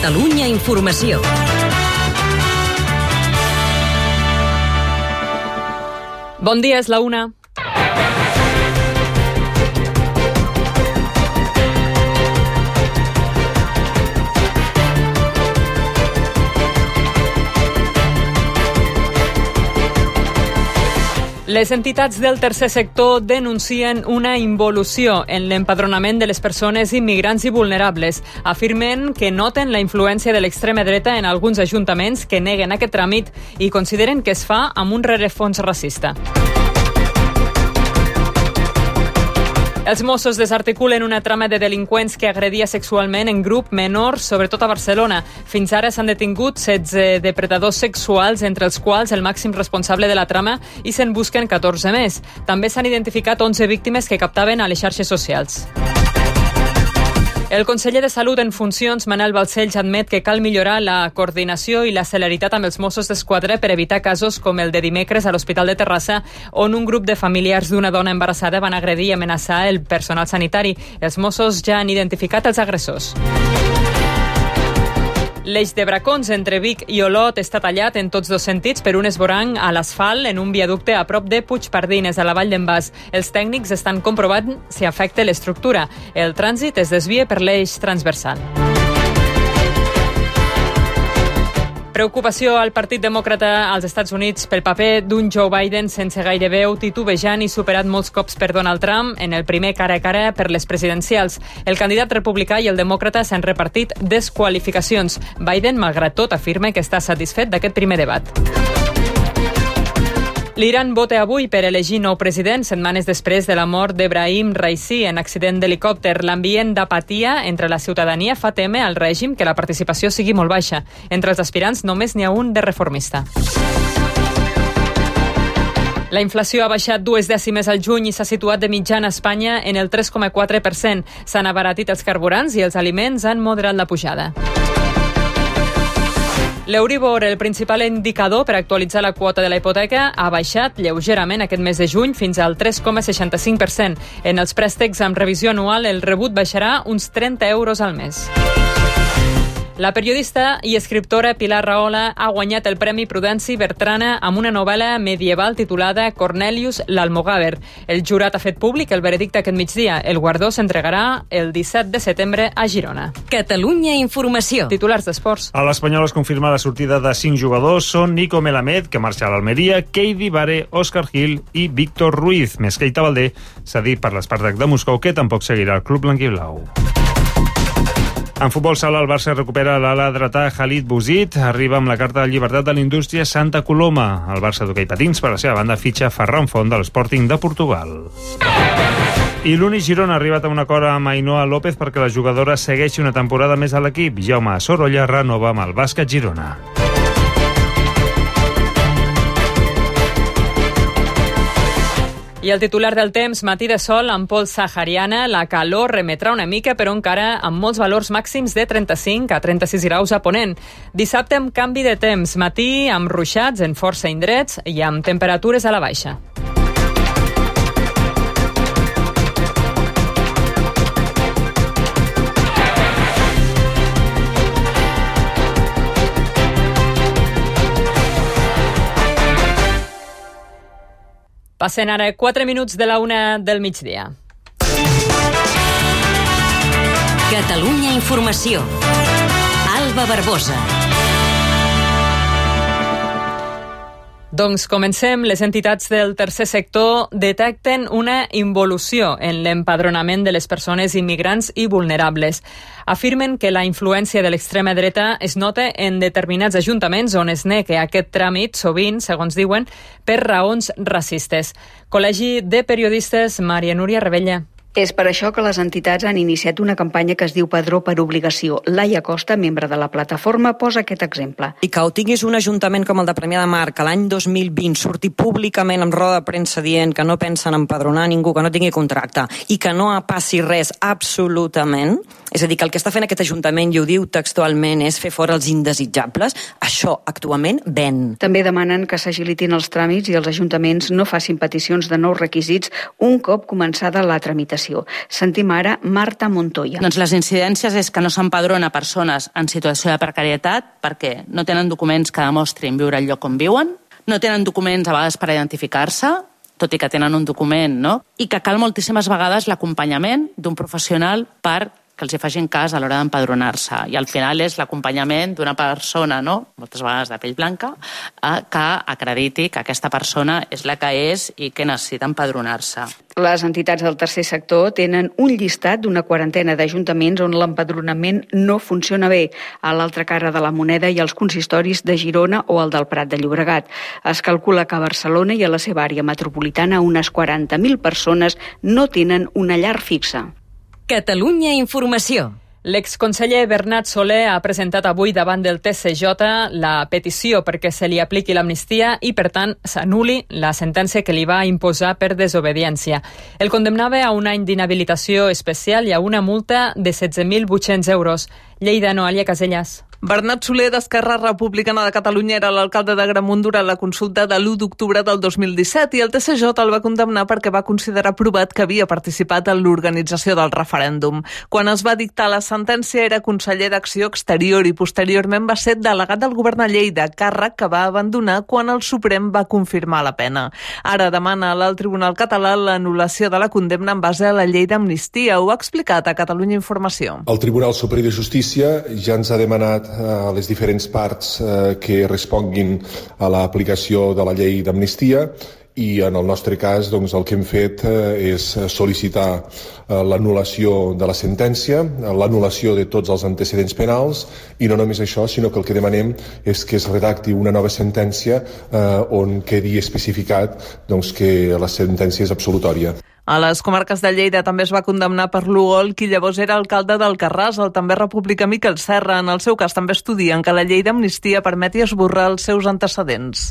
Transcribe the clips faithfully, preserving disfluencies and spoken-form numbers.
Catalunya Informació. Bon dia, és la una. Les entitats del tercer sector denuncien una involució en l'empadronament de les persones immigrants i vulnerables. Afirmen que noten la influència de l'extrema dreta en alguns ajuntaments que neguen aquest tràmit i consideren que es fa amb un rerefons racista. Els Mossos desarticulen una trama de delinqüents que agredia sexualment en grup menors, sobretot a Barcelona. Fins ara s'han detingut setze depredadors sexuals, entre els quals el màxim responsable de la trama, i se'n busquen catorze més. També s'han identificat onze víctimes que captaven a les xarxes socials. El conseller de Salut en funcions, Manel Balcells, admet que cal millorar la coordinació i la celeritat amb els Mossos d'Esquadra per evitar casos com el de dimecres a l'Hospital de Terrassa, on un grup de familiars d'una dona embarassada van agredir i amenaçar el personal sanitari. Els Mossos ja han identificat els agressors. L'eix de Bracons entre Vic i Olot està tallat en tots dos sentits per un esvoranc a l'asfalt en un viaducte a prop de Puigpardines, a la Vall d'en Bas. Els tècnics estan comprovant si afecta l'estructura. El trànsit es desvia per l'eix transversal. Preocupació al Partit Demòcrata als Estats Units pel paper d'un Joe Biden sense gaire veu, titubejant i superat molts cops per Donald Trump en el primer cara a cara per les presidencials. El candidat republicà i el demòcrata s'han repartit desqualificacions. Biden, malgrat tot, afirma que està satisfet d'aquest primer debat. L'Iran vota avui per elegir nou president, setmanes després de la mort d'Ebrahim Raisi en accident d'helicòpter. L'ambient d'apatia entre la ciutadania fa témer al règim que la participació sigui molt baixa. Entre els aspirants només n'hi ha un de reformista. La inflació ha baixat dues dècimes al juny i s'ha situat de mitjana a Espanya en el tres coma quatre per cent. S'han abaratit els carburants i els aliments han moderat la pujada. L'Euribor, el principal indicador per actualitzar la quota de la hipoteca, ha baixat lleugerament aquest mes de juny fins al tres coma seixanta-cinc per cent. En els préstecs amb revisió anual, el rebut baixarà uns trenta euros al mes. La periodista i escriptora Pilar Rahola ha guanyat el Premi Prudenci Bertrana amb una novel·la medieval titulada Cornelius l'Almogàver. El jurat ha fet públic el veredicte aquest migdia. El guardó s'entregarà el disset de setembre a Girona. Catalunya Informació. Titulars d'esports. A l'Espanyol es confirma la sortida de cinc jugadors. Són Nico Melamed, que marxa a l'Almeria, Keidi Bare, Òscar Gil i Víctor Ruiz. Més Keita Valdé s'ha dit per l'Spartak de Moscou que tampoc seguirà el club blanquiblau. En futbol sala, el Barça recupera l'ala dretà Khalid Bouzid. Arriba amb la carta de llibertat de l'indústria Santa Coloma. El Barça d'hoquei patins, per la seva banda, fitxa Ferran Font de l'Sporting de Portugal. I l'Uni Girona ha arribat a un acord amb Ainhoa López perquè la jugadora segueixi una temporada més a l'equip. Jaume Sorolla renova amb el Bàsquet Girona. I el titular del temps, matí de sol amb pols sahariana, la calor remetrà una mica, però encara amb molts valors màxims de trenta-cinc a trenta-sis graus a Ponent. Dissabte amb canvi de temps, matí amb ruixats en força indrets i amb temperatures a la baixa. Passen ara quatre minuts de la una del migdia. Catalunya Informació. Alba Barbosa. Doncs comencem. Les entitats del tercer sector detecten una involució en l'empadronament de les persones immigrants i vulnerables. Afirmen que la influència de l'extrema dreta es nota en determinats ajuntaments on es nega aquest tràmit, sovint, segons diuen, per raons racistes. Col·legi de Periodistes, Maria Núria Rebella. És per això que les entitats han iniciat una campanya que es diu Padró per obligació. Laia Costa, membre de la plataforma, posa aquest exemple. I que ho tinguis un ajuntament com el de Premià de Mar, que l'any dos mil vint surti públicament amb roda de premsa dient que no pensen empadronar ningú que no tingui contracte i que no passi res absolutament, és a dir, que el que està fent aquest ajuntament, i ho diu textualment, és fer fora els indesitjables, això actualment ven. També demanen que s'agilitin els tràmits i els ajuntaments no facin peticions de nous requisits un cop començada la tramitació. població. Sentim ara Marta Montoya. Doncs les incidències és que no s'empadrona persones en situació de precarietat perquè no tenen documents que demostrin viure al lloc on viuen, no tenen documents a vegades per identificar-se, tot i que tenen un document, no? I que cal moltíssimes vegades l'acompanyament d'un professional per que els hi facin cas a l'hora d'empadronar-se. I al final és l'acompanyament d'una persona, no? Moltes vegades de pell blanca, que acrediti que aquesta persona és la que és i que necessita empadronar-se. Les entitats del tercer sector tenen un llistat d'una quarantena d'ajuntaments on l'empadronament no funciona bé. A l'altra cara de la moneda hi ha els consistoris de Girona o el del Prat de Llobregat. Es calcula que a Barcelona i a la seva àrea metropolitana unes quaranta mil persones no tenen una llar fixa. Catalunya Informació. L'exconseller Bernat Soler ha presentat avui davant del T C J la petició perquè se li apliqui l'amnistia i, per tant, s'anul·li la sentència que li va imposar per desobediència. El condemnava a un any d'inhabilitació especial i a una multa de setze mil vuit-cents euros. Lleida, Noelia Casellas. Bernat Soler, d'Esquerra Republicana de Catalunya, era l'alcalde d'Agramunt durant la consulta de l'u d'octubre del dos mil disset i el T C J el va condemnar perquè va considerar provat que havia participat en l'organització del referèndum. Quan es va dictar la sentència era conseller d'Acció Exterior i posteriorment va ser delegat del govern a Lleida, càrrec que va abandonar quan el Suprem va confirmar la pena. Ara demana a l'alt Tribunal Català l'anul·lació de la condemna en base a la llei d'amnistia. Ho ha explicat a Catalunya Informació. El Tribunal Superior de Justícia ja ens ha demanat a les diferents parts eh, que responguin a l'aplicació de la llei d'amnistia i en el nostre cas doncs, el que hem fet eh, és sol·licitar eh, l'anul·lació de la sentència, l'anul·lació de tots els antecedents penals i no només això, sinó que el que demanem és que es redacti una nova sentència eh, on quedi especificat doncs, que la sentència és absolutòria. A les comarques de Lleida també es va condemnar per l'Ugol qui llavors era alcalde d'Alcarràs, el també republicà Miquel Serra. En el seu cas també estudien que la llei d'amnistia permeti esborrar els seus antecedents.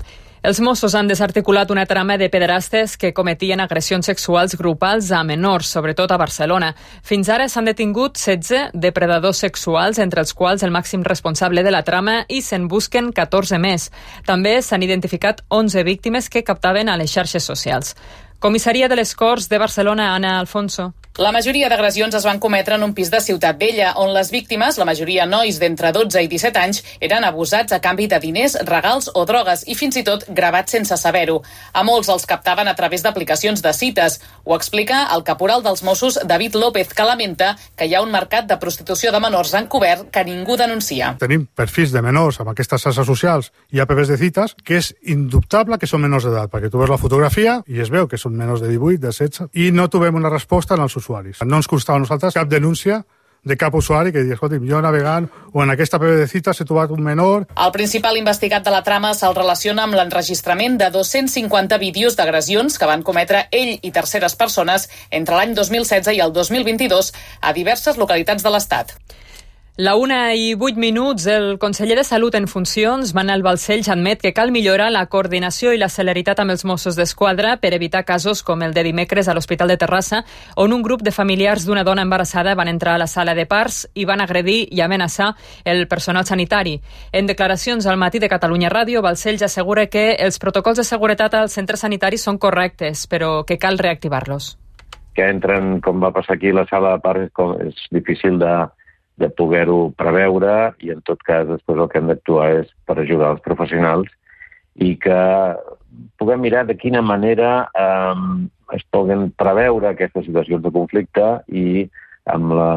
Els Mossos han desarticulat una trama de pederastes que cometien agressions sexuals grupals a menors, sobretot a Barcelona. Fins ara s'han detingut setze depredadors sexuals, entre els quals el màxim responsable de la trama, i se'n busquen catorze més. També s'han identificat onze víctimes que captaven a les xarxes socials. Comissaria de les Corts de Barcelona, Anna Alfonso. La majoria d'agressions es van cometre en un pis de Ciutat Vella, on les víctimes, la majoria nois d'entre dotze i disset anys, eren abusats a canvi de diners, regals o drogues i fins i tot gravats sense saber-ho. A molts els captaven a través d'aplicacions de cites. Ho explica el caporal dels Mossos, David López, que lamenta que hi ha un mercat de prostitució de menors encobert que ningú denuncia. Tenim perfils de menors amb aquestes xarxes socials i apps de cites que és indubtable que són menors d'edat, perquè tu veus la fotografia i es veu que són menors de divuit, de setze, i no trobem una resposta en els usuaris. No ens constava a nosaltres cap denúncia de cap usuari que digui, escolta, jo navegant o en aquesta app de cites he trobat un menor. El principal investigat de la trama se'l relaciona amb l'enregistrament de dos-cents cinquanta vídeos d'agressions que van cometre ell i terceres persones entre l'any dos mil setze i el dos mil vint-i-dos a diverses localitats de l'Estat. La una i vuit minuts, el conseller de Salut en funcions, Manel Balcells, admet que cal millorar la coordinació i la celeritat amb els Mossos d'Esquadra per evitar casos com el de dimecres a l'Hospital de Terrassa, on un grup de familiars d'una dona embarassada van entrar a la sala de parts i van agredir i amenaçar el personal sanitari. En declaracions al Matí de Catalunya Ràdio, Balcells assegura que els protocols de seguretat als centres sanitaris són correctes, però que cal reactivar-los. Que entren, com va passar aquí, a la sala de parts és, és difícil de de poder-ho preveure i en tot cas després el que hem d'actuar és per ajudar els professionals i que puguem mirar de quina manera eh, es poden preveure aquestes situacions de conflicte i amb la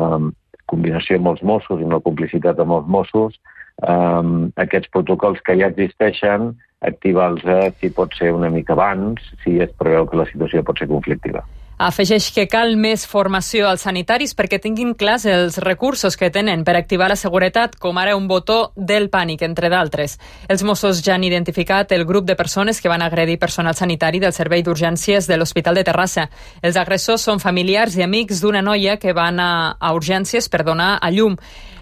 combinació amb els Mossos i amb la complicitat amb els Mossos eh, aquests protocols que ja existeixen activar-los si pot ser una mica abans si es preveu que la situació pot ser conflictiva. Afegeix que cal més formació als sanitaris perquè tinguin clars els recursos que tenen per activar la seguretat, com ara un botó del pànic, entre d'altres. Els Mossos ja han identificat el grup de persones que van agredir personal sanitari del Servei d'Urgències de l'Hospital de Terrassa. Els agressors són familiars i amics d'una noia que van a, a urgències per donar a llum.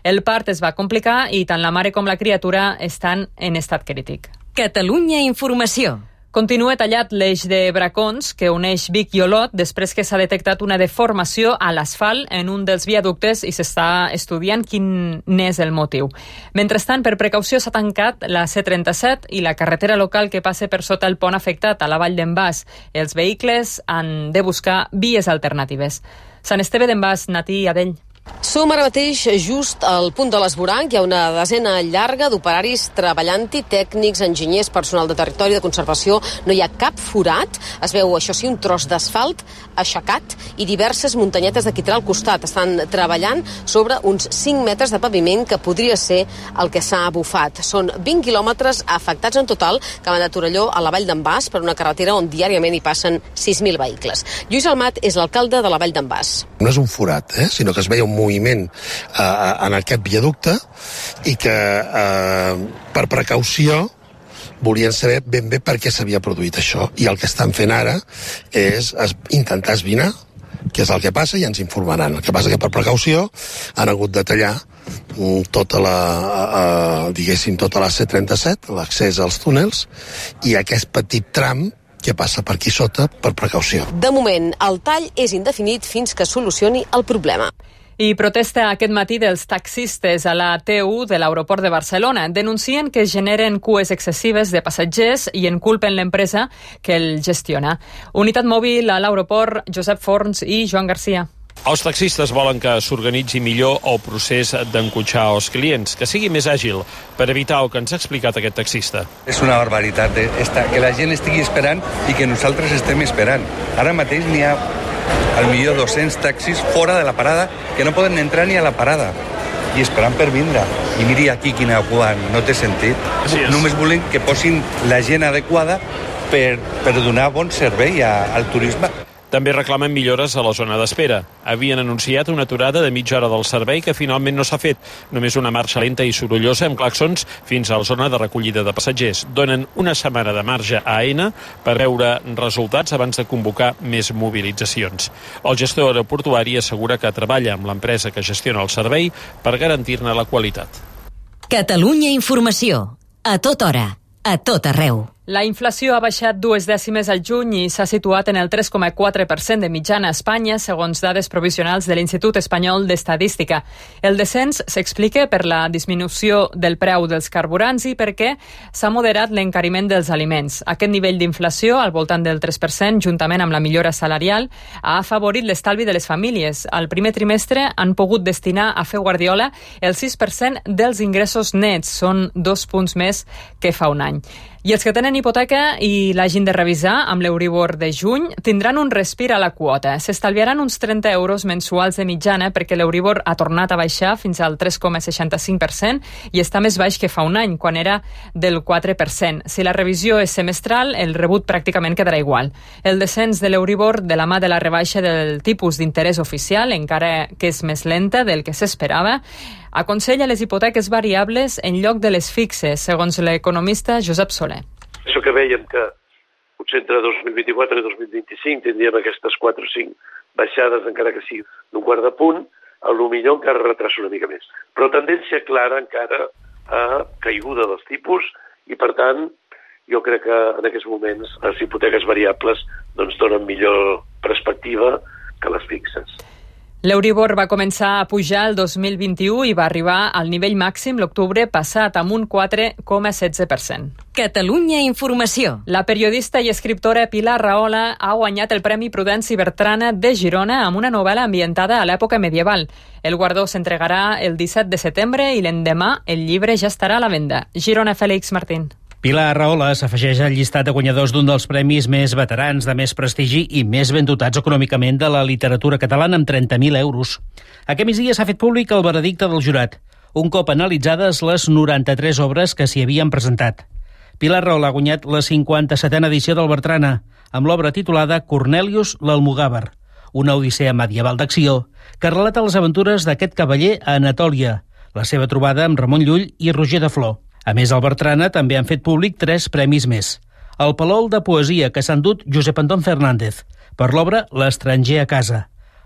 El part es va complicar i tant la mare com la criatura estan en estat crític. Catalunya Informació. Continua tallat l'eix de Bracons que uneix Vic i Olot després que s'ha detectat una deformació a l'asfalt en un dels viaductes i s'està estudiant quin n'és el motiu. Mentrestant, per precaució s'ha tancat la C trenta-set i la carretera local que passa per sota el pont afectat a la Vall d'en Bas. Els vehicles han de buscar vies alternatives. Sant Esteve d'en Bas, Natí i Adell. Som ara mateix just al punt de l'Esvoranc. Hi ha una desena llarga d'operaris treballant-hi, tècnics, enginyers, personal de territori, de conservació. No hi ha cap forat. Es veu, això sí, un tros d'asfalt aixecat i diverses muntanyetes de quitrà al costat. Estan treballant sobre uns cinc metres de paviment que podria ser el que s'ha bufat. Són vint quilòmetres afectats en total que van de Torelló a la Vall d'en Bas per una carretera on diàriament hi passen sis mil vehicles. Lluís Almat és l'alcalde de la Vall d'en Bas. No és un forat, eh? sinó que es veia un moviment eh, en aquest viaducte i que eh, per precaució volien saber ben bé per què s'havia produït això. I el que estan fent ara és es, intentar esbrinar què és el que passa i ens informaran. El que passa que per precaució han hagut de tallar tota la, eh, diguéssim, tota la C trenta-set, l'accés als túnels, i aquest petit tram que passa per aquí sota per precaució. De moment, el tall és indefinit fins que solucioni el problema. I protesta aquest matí dels taxistes a la T u de l'aeroport de Barcelona. Denuncien que generen cues excessives de passatgers i en culpen l'empresa que el gestiona. Unitat mòbil a l'aeroport, Josep Forns i Joan Garcia. Els taxistes volen que s'organitzi millor el procés d'encotxar els clients, que sigui més àgil, per evitar el que ens ha explicat aquest taxista. És una barbaritat, eh? Esta, que la gent estigui esperant i que nosaltres estem esperant. Ara mateix n'hi ha al millor dos-cents taxis fora de la parada que no poden entrar ni a la parada i esperant per vindre. I miri aquí quina cua, no té sentit. Només volen que posin la gent adequada per, per donar bon servei a, al turisme. També reclamen millores a la zona d'espera. Havien anunciat una aturada de mitja hora del servei que finalment no s'ha fet. Només una marxa lenta i sorollosa amb claxons fins a la zona de recollida de passatgers. Donen una setmana de marge a Aena per veure resultats abans de convocar més mobilitzacions. El gestor aeroportuari assegura que treballa amb l'empresa que gestiona el servei per garantir-ne la qualitat. Catalunya Informació. A tota hora. A tot arreu. La inflació ha baixat dues dècimes al juny i s'ha situat en el tres coma quatre per cent de mitjana a Espanya, segons dades provisionals de l'Institut Espanyol d'Estadística. El descens s'explica per la disminució del preu dels carburants i perquè s'ha moderat l'encariment dels aliments. Aquest nivell d'inflació, al voltant del tres per cent, juntament amb la millora salarial, ha afavorit l'estalvi de les famílies. Al primer trimestre han pogut destinar a fer guardiola el sis per cent dels ingressos nets. Són dos punts més que fa un any. I els que tenen hipoteca i l'hagin de revisar amb l'Euribor de juny tindran un respir a la quota. S'estalviaran uns trenta euros mensuals de mitjana perquè l'Euribor ha tornat a baixar fins al tres coma seixanta-cinc per cent i està més baix que fa un any, quan era del quatre per cent. Si la revisió és semestral, el rebut pràcticament quedarà igual. El descens de l'Euribor de la mà de la rebaixa del tipus d'interès oficial, encara que és més lenta del que s'esperava, aconsella les hipoteques variables en lloc de les fixes, segons l'economista Josep Soler. Això que veiem que potser entre dos mil vint-i-quatre i dos mil vint-i-cinc tindríem aquestes quatre o cinc baixades, encara que sigui d'un quart de punt, a lo millor encara retrasa una mica més. Però tendència clara encara a caiguda dels tipus i, per tant, jo crec que en aquests moments les hipoteques variables doncs, donen millor perspectiva que les fixes. L'Euribor va començar a pujar el dos mil vint-i-u i va arribar al nivell màxim l'octubre passat amb un quatre coma setze per cent. Catalunya Informació. La periodista i escriptora Pilar Rahola ha guanyat el Premi Prudenci Bertrana de Girona amb una novel·la ambientada a l'època medieval. El guardó s'entregarà el disset de setembre i l'endemà el llibre ja estarà a la venda. Girona, Fèlix Martín. Pilar Rahola s'afegeix al llistat de guanyadors d'un dels premis més veterans, de més prestigi i més ben dotats econòmicament de la literatura catalana, amb trenta mil euros. Aquest migdia s'ha fet públic el veredicte del jurat, un cop analitzades les noranta-tres obres que s'hi havien presentat. Pilar Rahola ha guanyat la cinquanta-setena edició del Bertrana, amb l'obra titulada Cornelius l'Almogàver, una odissea medieval d'acció que relata les aventures d'aquest cavaller a Anatòlia, la seva trobada amb Ramon Llull i Roger de Flor. A més, al Bertrana també han fet públic tres premis més. El Palol de Poesia, que s'ha endut Josep Anton Fernández, per l'obra L'estranger a casa.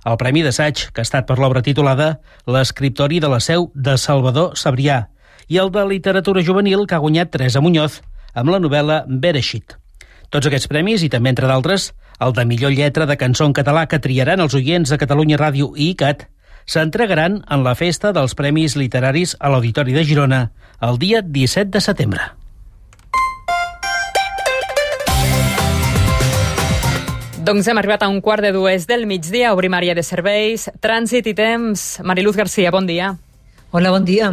El Premi d'Assaig, que ha estat per l'obra titulada L'escriptori de la Seu de Salvador Sabrià. I el de Literatura Juvenil, que ha guanyat Teresa Muñoz, amb la novel·la Bereshit. Tots aquests premis, i també, entre d'altres, el de millor lletra de cançó en català que triaran els oients de Catalunya Ràdio i ICAT, s'entregaran en la festa dels Premis Literaris a l'Auditori de Girona el dia disset de setembre. Doncs hem arribat a un quart de dues del migdia, obrim àrea de serveis, trànsit i temps. Mariluz Garcia, bon dia. Hola, bon dia.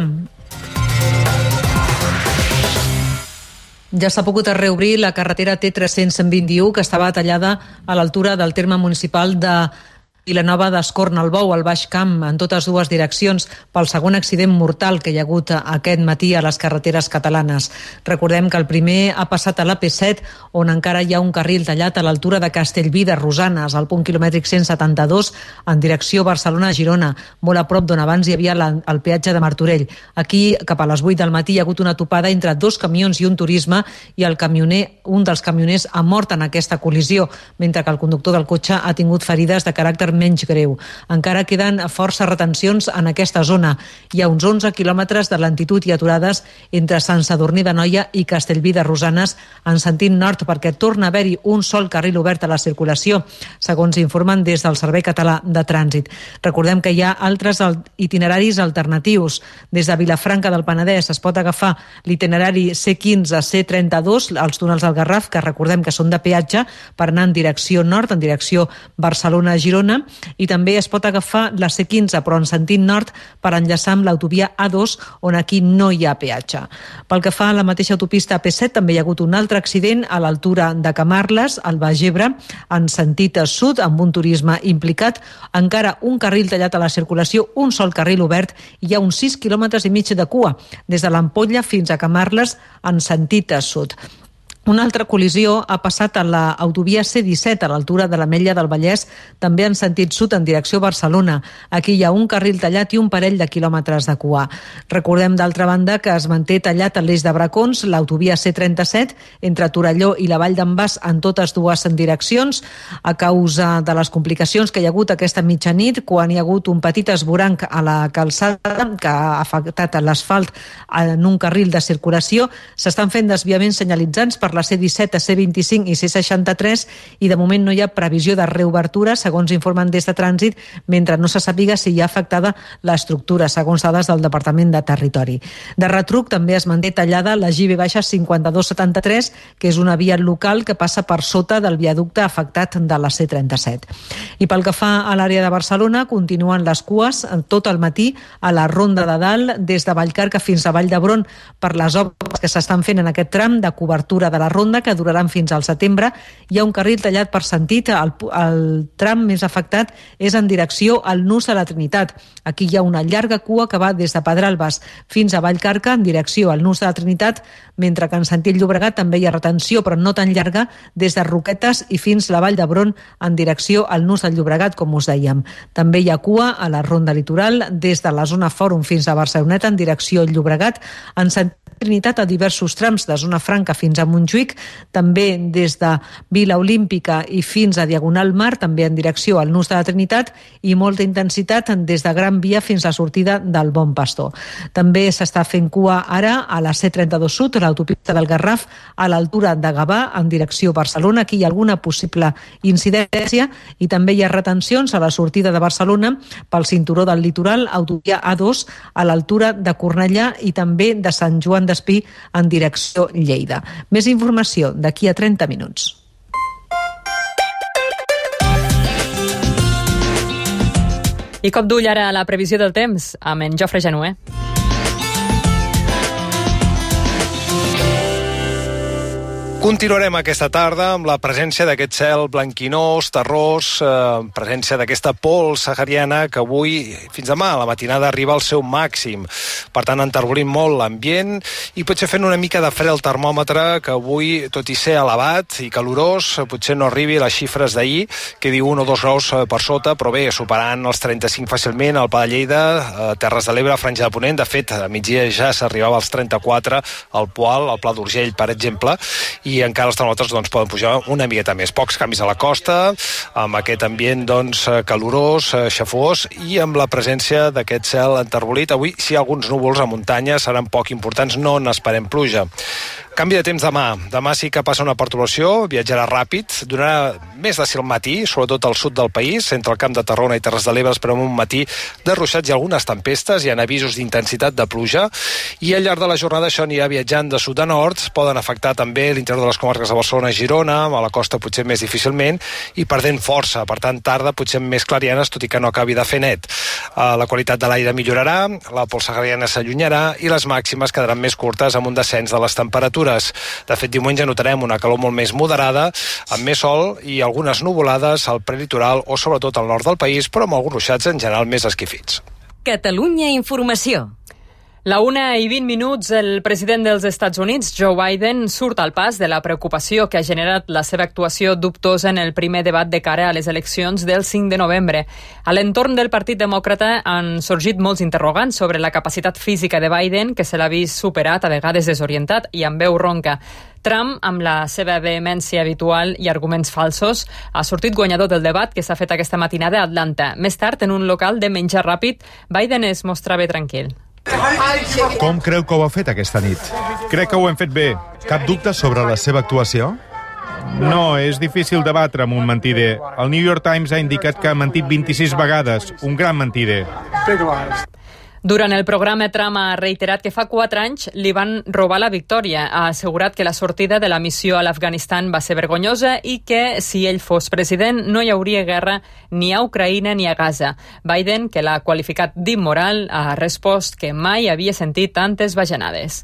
Ja s'ha pogut reobrir la carretera T tres-cents vint-i-u, que estava tallada a l'altura del terme municipal de Vilanova d'Escornalbou, al Baix Camp, en totes dues direccions, pel segon accident mortal que hi ha hagut aquest matí a les carreteres catalanes. Recordem que el primer ha passat a l'A P set, on encara hi ha un carril tallat a l'altura de Castellví de Rosanes, al punt quilomètric cent setanta-dos, en direcció Barcelona-Girona, molt a prop d'on abans hi havia la, el peatge de Martorell. Aquí, cap a les vuit del matí, hi ha hagut una topada entre dos camions i un turisme, i el camioner, un dels camioners ha mort en aquesta col·lisió, mentre que el conductor del cotxe ha tingut ferides de caràcter menys greu. Encara queden força retencions en aquesta zona. Hi ha uns onze quilòmetres de lentitud i aturades entre Sant Sadurní d'Anoia i Castellví de Rosanes en sentit nord, perquè torna a haver-hi un sol carril obert a la circulació, segons informen des del Servei Català de Trànsit. Recordem que hi ha altres itineraris alternatius. Des de Vilafranca del Penedès es pot agafar l'itinerari C quinze C trenta-dos, els túnels del Garraf, que recordem que són de peatge, per anar en direcció nord, en direcció Barcelona-Girona, i també es pot agafar la C quinze, però en sentit nord, per enllaçar amb l'autovia A dos, on aquí no hi ha peatge. Pel que fa a la mateixa autopista A P set, també hi ha hagut un altre accident a l'altura de Camarles, al Baix Ebre, en sentit sud, amb un turisme implicat. Encara un carril tallat a la circulació, un sol carril obert, i hi ha uns sis quilòmetres i mig de cua, des de l'Ampolla fins a Camarles, en sentit sud. Una altra col·lisió ha passat a l'autovia C disset, a l'altura de l'Ametlla del Vallès, també en sentit sud, en direcció Barcelona. Aquí hi ha un carril tallat i un parell de quilòmetres de cua. Recordem, d'altra banda, que es manté tallat a l'eix de Bracons, l'autovia C trenta-set, entre Torelló i la Vall d'en Bas, en totes dues direccions, a causa de les complicacions que hi ha hagut aquesta mitjanit, quan hi ha hagut un petit esvoranc a la calçada que ha afectat l'asfalt en un carril de circulació. S'estan fent desviaments senyalitzants per la C disset, C vint-i-cinc i C seixanta-tres, i de moment no hi ha previsió de reobertura, segons informen des de Trànsit, mentre no se sàpiga si hi ha afectada l'estructura, segons dades del Departament de Territori. De retruc també es manté tallada la G V cinquanta-dos setanta-tres, que és una via local que passa per sota del viaducte afectat de la C trenta-set. I pel que fa a l'àrea de Barcelona, continuen les cues tot el matí a la Ronda de Dalt, des de Vallcarca fins a Vall d'Hebron, per les obres que s'estan fent en aquest tram de cobertura de la ronda, que duraran fins al setembre. Hi ha un carril tallat per sentit. El, el tram més afectat és en direcció al Nus de la Trinitat. Aquí hi ha una llarga cua que va des de Pedralbes fins a Vallcarca en direcció al Nus de la Trinitat, mentre que en sentit Llobregat també hi ha retenció, però no tan llarga, des de Roquetes i fins a la Vall d'Hebron en direcció al Nus del Llobregat, com us dèiem. També hi ha cua a la ronda litoral des de la zona Fòrum fins a Barceloneta en direcció al Llobregat, en sentit Trinitat a diversos trams de Zona Franca fins a Montjuïc, també des de Vila Olímpica i fins a Diagonal Mar, també en direcció al Nus de la Trinitat, i molta intensitat des de Gran Via fins a la sortida del Bon Pastor. També s'està fent cua ara a la C trenta-dos Sud, a l'autopista del Garraf, a l'altura de Gavà, en direcció Barcelona. Aquí hi ha alguna possible incidència, i també hi ha retencions a la sortida de Barcelona pel cinturó del litoral, autovia A dos, a l'altura de Cornellà, i també de Sant Joan d'Espí en direcció Lleida. Més informació d'aquí a trenta minuts. I cop d'ull ara a la previsió del temps amb en Jofre Januer. Continuarem aquesta tarda amb la presència d'aquest cel blanquinós, terrós, eh, presència d'aquesta pols sahariana que avui, fins demà, a la matinada arriba al seu màxim. Per tant, enterbolim molt l'ambient i potser fent una mica de fred al termòmetre, que avui, tot i ser elevat i calorós, potser no arribi a les xifres d'ahir, que diu un o dos graus per sota, però bé, superant els trenta-cinc fàcilment al Pla de Lleida, a Terres de l'Ebre, Franja de Ponent. De fet, a migdia ja s'arribava als trenta-quatre al Poal, al Pla d'Urgell, per exemple, i encara els termòmetres doncs, poden pujar una miqueta més. Pocs canvis a la costa, amb aquest ambient doncs, calorós, xafós, i amb la presència d'aquest cel enterbolit. Avui, si hi ha alguns núvols a muntanya, seran poc importants, no n'esperem pluja. Canvi de temps demà. Demà sí que passa una perturbació, viatjarà ràpid, donarà més de ser al matí, sobretot al sud del país, entre el Camp de Tarragona i Terres de l'Ebre, esperem un matí de ruixats i algunes tempestes, hi ha avisos d'intensitat de pluja, i al llarg de la jornada això anirà viatjant de sud a nord, poden afectar també l'interior de les comarques de Barcelona i Girona, a la costa potser més difícilment, i perdent força, per tant tarda potser més clarianes, tot i que no acabi de fer net. La qualitat de l'aire millorarà, la pols sahariana s'allunyarà i les màximes quedaran més curtes amb un descens de les temperatures. De fet, diumenge notarem una calor molt més moderada, amb més sol i algunes nuvolades al prelitoral o sobretot al nord del país, però amb alguns ruixats en general més esquifits. Catalunya Informació. La una i vint minuts, el president dels Estats Units, Joe Biden, surt al pas de la preocupació que ha generat la seva actuació dubtosa en el primer debat de cara a les eleccions del cinc de novembre. A l'entorn del Partit Demòcrata han sorgit molts interrogants sobre la capacitat física de Biden, que se l'ha vist superat, a vegades desorientat i amb veu ronca. Trump, amb la seva vehemència habitual i arguments falsos, ha sortit guanyador del debat que s'ha fet aquesta matinada a Atlanta. Més tard, en un local de menjar ràpid, Biden es mostrava tranquil. Com creu que ho ha fet aquesta nit? Crec que ho hem fet bé. Cap dubte sobre la seva actuació? No, és difícil debatre amb un mentider. El New York Times ha indicat que ha mentit vint-i-sis vegades, un gran mentider. Durant el programa, Trump ha reiterat que fa quatre anys li van robar la victòria. Ha assegurat que la sortida de la missió a l'Afganistan va ser vergonyosa i que, si ell fos president, no hi hauria guerra ni a Ucraïna ni a Gaza. Biden, que l'ha qualificat d'immoral, ha respost que mai havia sentit tantes bajanades.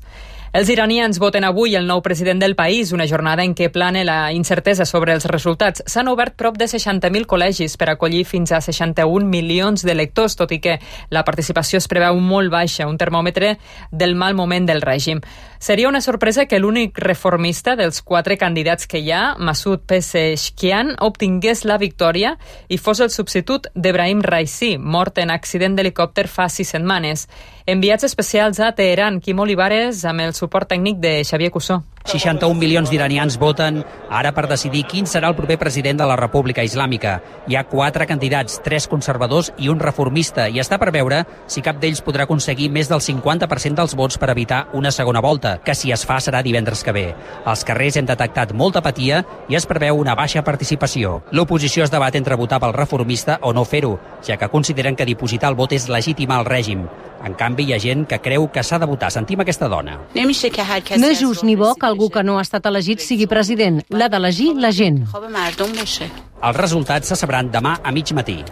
Els iranians voten avui el nou president del país, una jornada en què plana la incertesa sobre els resultats. S'han obert prop de seixanta mil col·legis per acollir fins a seixanta-un milions d'electors, tot i que la participació es preveu molt baixa, un termòmetre del mal moment del règim. Seria una sorpresa que l'únic reformista dels quatre candidats que hi ha, Masoud Pezeshkian, obtingués la victòria i fos el substitut d'Ebrahim Raisi, mort en accident d'helicòpter fa sis setmanes. Enviats especials a Teheran, Quim Olivares, amb el suport tècnic de Xavier Cussó. seixanta-un milions d'iranians voten ara per decidir quin serà el proper president de la República Islàmica. Hi ha quatre candidats, tres conservadors i un reformista, i està per veure si cap d'ells podrà aconseguir més del cinquanta per cent dels vots per evitar una segona volta, que si es fa serà divendres que ve. Als carrers hem detectat molta apatia i es preveu una baixa participació. L'oposició es debat entre votar pel reformista o no fer-ho, ja que consideren que dipositar el vot és legitimar el règim. En canvi, hi ha gent que creu que s'ha de votar. Sentim aquesta dona. No és just ni bo que algú que no ha estat elegit sigui president. L'ha d'elegir la gent. Els resultats se sabran demà a mig matí.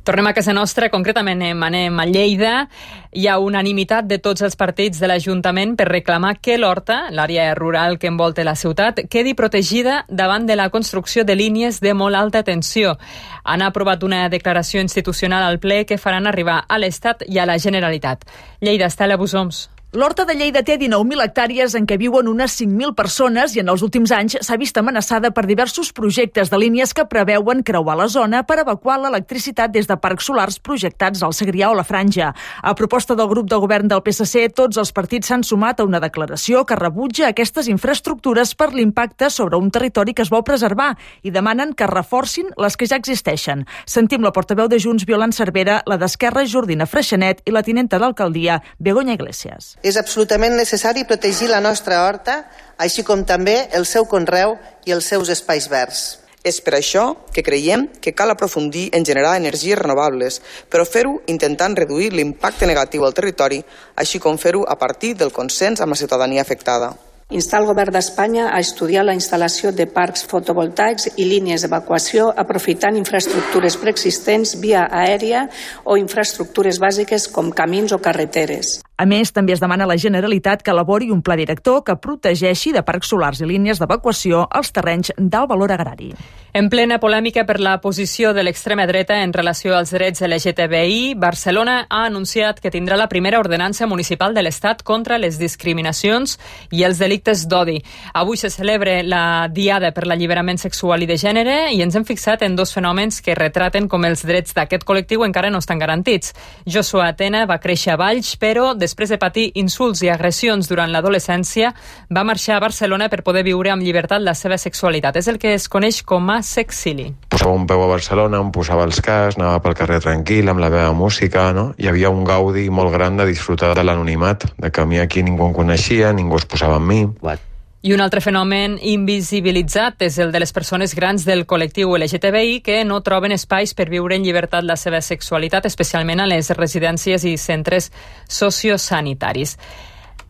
Tornem a casa nostra, concretament anem a Lleida. Hi ha unanimitat de tots els partits de l'Ajuntament per reclamar que l'Horta, l'àrea rural que envolta la ciutat, quedi protegida davant de la construcció de línies de molt alta tensió. Han aprovat una declaració institucional al ple que faran arribar a l'Estat i a la Generalitat. Lleida, Estela Busoms. L'Horta de Lleida té dinou mil hectàrees en què viuen unes cinc mil persones i en els últims anys s'ha vist amenaçada per diversos projectes de línies que preveuen creuar la zona per evacuar l'electricitat des de parcs solars projectats al Segrià o la Franja. A proposta del grup de govern del P S C, tots els partits s'han sumat a una declaració que rebutja aquestes infraestructures per l'impacte sobre un territori que es vol preservar i demanen que reforcin les que ja existeixen. Sentim la portaveu de Junts, Violant Cervera, la d'Esquerra, Jordina Freixanet, i la tinenta d'alcaldia, Begoña Iglesias. És absolutament necessari protegir la nostra horta, així com també el seu conreu i els seus espais verds. És per això que creiem que cal aprofundir en generar energies renovables, però fer-ho intentant reduir l'impacte negatiu al territori, així com fer-ho a partir del consens amb la ciutadania afectada. Instar el govern d'Espanya a estudiar la instal·lació de parcs fotovoltaics i línies d'evacuació aprofitant infraestructures preexistents via aèria o infraestructures bàsiques com camins o carreteres. A més, també es demana a la Generalitat que elabori un pla director que protegeixi de parcs solars i línies d'evacuació els terrenys d'alt valor agrari. En plena polèmica per la posició de l'extrema dreta en relació als drets L G T B I, Barcelona ha anunciat que tindrà la primera ordenança municipal de l'Estat contra les discriminacions i els delictes d'odi. Avui se celebra la Diada per l'Alliberament Sexual i de Gènere i ens hem fixat en dos fenòmens que retraten com els drets d'aquest col·lectiu encara no estan garantits. Joshua Atena va créixer a Valls, però després de patir insults i agressions durant l'adolescència, va marxar a Barcelona per poder viure amb llibertat la seva sexualitat. És el que es coneix com a sexili. Posava un peu a Barcelona, em posava els cascs, anava pel carrer tranquil, amb la meva música, no? Hi havia un gaudi molt gran de disfrutar de l'anonimat, de que a mi aquí ningú em coneixia, ningú es posava amb mi. What? I un altre fenomen invisibilitzat és el de les persones grans del col·lectiu L G T B I que no troben espais per viure en llibertat la seva sexualitat, especialment a les residències i centres sociosanitaris.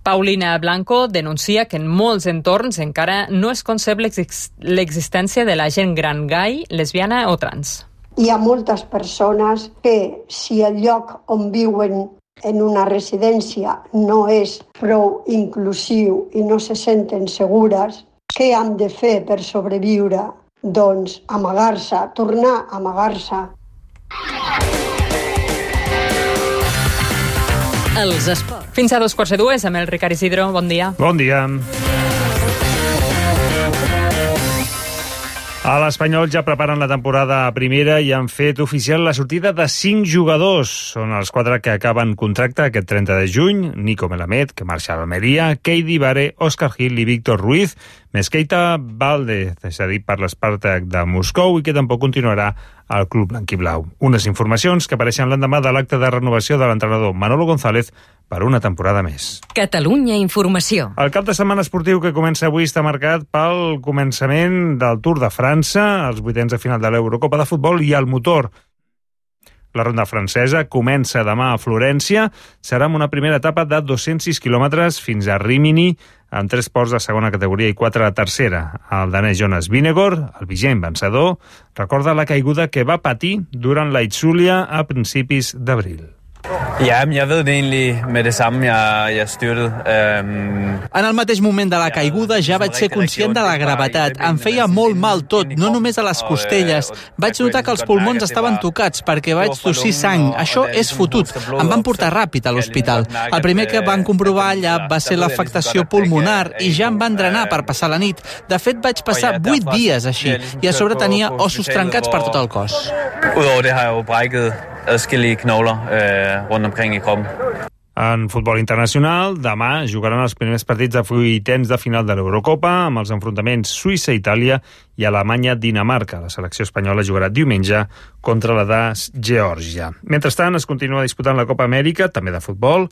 Paulina Blanco denuncia que en molts entorns encara no es concep l'existència de la gent gran gai, lesbiana o trans. Hi ha moltes persones que, si el lloc on viuen en una residència no és prou inclusiu i no se senten segures, què han de fer per sobreviure? Doncs amagar-se, tornar a amagar-se. Els esports. Fins a dos quarts de dues amb el Ricard Isidro. Bon dia. Bon dia. A l'Espanyol ja preparen la temporada primera i han fet oficial la sortida de cinc jugadors. Són els quatre que acaben contracte aquest trenta de juny. Nico Melamed, que marxa a l'Almeria, Keidi Bare, Òscar Gil i Víctor Ruiz, més Keita Valdez, cedit per l'Spartak de Moscou i que tampoc continuarà al club blanquiblau. Unes informacions que apareixen l'endemà de l'acte de renovació de l'entrenador Manolo González per una temporada més. Catalunya Informació. El cap de setmana esportiu que comença avui està marcat pel començament del Tour de França, els vuitens de final de l'Eurocopa de futbol i el motor. La ronda francesa comença demà a Florència. Serà amb una primera etapa de dos-cents sis quilòmetres fins a Rímini, amb tres ports de segona categoria i quatre de tercera. El danès Jonas Vingegaard, el vigent vencedor, recorda la caiguda que va patir durant la Itzulia a principis d'abril. Ja, men jeg ved det egentlig med det samme, jeg, jeg styrtede. Um... En el mateix moment de la caiguda ja vaig ser conscient de la gravetat. Em feia molt mal tot, no només a les costelles. Vaig notar que els pulmons estaven tocats perquè vaig tossir sang. Això és fotut. Em van portar ràpid a l'hospital. El primer que van comprovar allà va ser l'afectació pulmonar i ja em van drenar per passar la nit. De fet, vaig passar vuit dies així i a sobre tenia ossos trencats per tot el cos. Udover det har jeg jo brækket adskillige knogler eh, rundt omkring i kroppen. En futbol internacional, demà jugaran els primers partits de vuitens de final de l'Eurocopa amb els enfrontaments Suïssa-Itàlia i Alemanya-Dinamarca. La selecció espanyola jugarà diumenge contra la de Geòrgia. Mentrestant, es continua disputant la Copa Amèrica, també de futbol,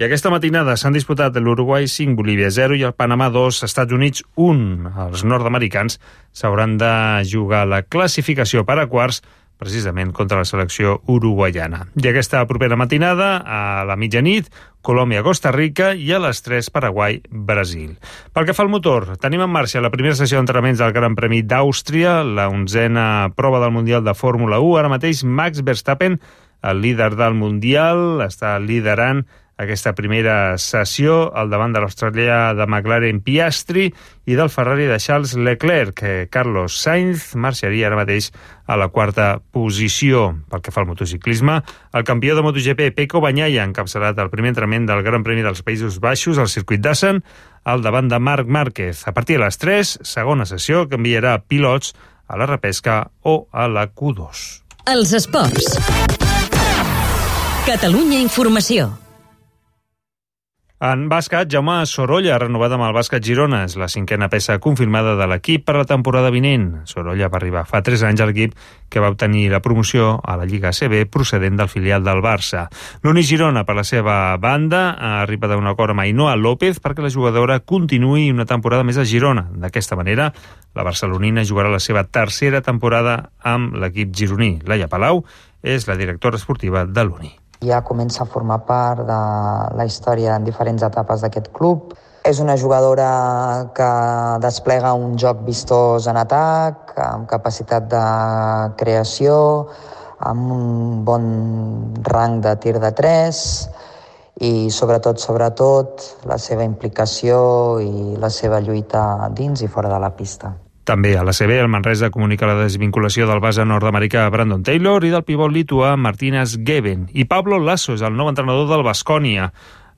i aquesta matinada s'han disputat l'Uruguai cinc, Bolívia zero i el Panamà dos, Estats Units un. Els nord-americans s'hauran de jugar la classificació per a quarts precisament contra la selecció uruguaiana. I aquesta propera matinada, a la mitjanit, Colòmbia-Costa Rica i a les tres, Paraguai-Brasil. Pel que fa al motor, tenim en marxa la primera sessió d'entrenaments del Gran Premi d'Àustria, la onzena prova del Mundial de Fórmula u. Ara mateix Max Verstappen, el líder del Mundial, està liderant aquesta primera sessió al davant de l'australià de McLaren Piastri i del Ferrari de Charles Leclerc, que Carlos Sainz marxaria ara mateix a la quarta posició. Pel que fa al motociclisme, el campió de MotoGP Pecco Bagnaia ha encapçalat el primer entrenament del Gran Premi dels Països Baixos al circuit d'Assen al davant de Marc Márquez. A partir de les tres, segona sessió que enviarà pilots a la repesca o a la Q dos. Els esports. Catalunya Informació. En bàsquet, Jaume Sorolla ha renovat amb el Bàsquet Girona. És la cinquena peça confirmada de l'equip per la temporada vinent. Sorolla va arribar fa tres anys al equip que va obtenir la promoció a la Lliga A C B procedent del filial del Barça. L'Uni Girona, per la seva banda, ha arribat a un acord amb Ainhoa López perquè la jugadora continuï una temporada més a Girona. D'aquesta manera, la barcelonina jugarà la seva tercera temporada amb l'equip gironí. Laia Palau és la directora esportiva de l'Uni. Ja comença a formar part de la història en diferents etapes d'aquest club. És una jugadora que desplega un joc vistós en atac, amb capacitat de creació, amb un bon rang de tir de tres i sobretot, sobretot, la seva implicació i la seva lluita dins i fora de la pista. També a l'A C B, el Manresa comunica la desvinculació del base nord-americà Brandon Taylor i del pivot lituà Martínez Geben. I Pablo Lasso és el nou entrenador del Baskonia.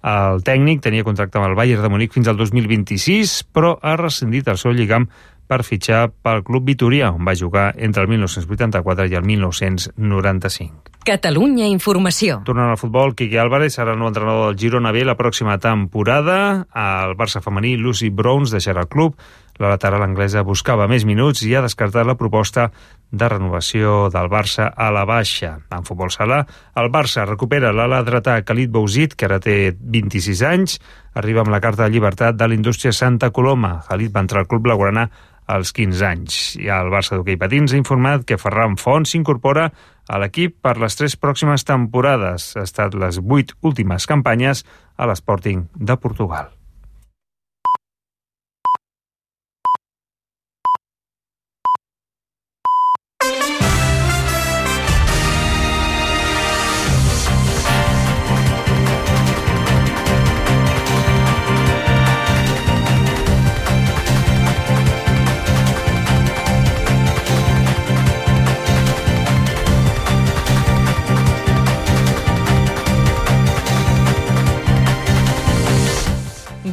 El tècnic tenia contracte amb el Bayern de Munic fins al dos mil vint-i-sis, però ha rescindit el seu lligam per fitxar pel club vitorià, on va jugar entre el mil nou-cents vuitanta-quatre i el mil nou-cents noranta-cinc. Catalunya Informació. Tornant al futbol, Quique Álvarez serà el nou entrenador del Girona B la pròxima temporada. El Barça femení, Lucy Browns, deixarà el club. La lateral anglesa buscava més minuts i ha descartat la proposta de renovació del Barça a la baixa. En futbol sala, el Barça recupera l'ala dretà Khalid Bouzid, que ara té vint-i-sis anys. Arriba amb la carta de llibertat de l'Indústria Santa Coloma. Khalid va entrar al club blaugrana als quinze anys. I el Barça d'hoquei patins ha informat que Ferran Font s'incorpora a l'equip per les tres pròximes temporades. Ha estat les vuit últimes campanyes a l'Sporting de Portugal.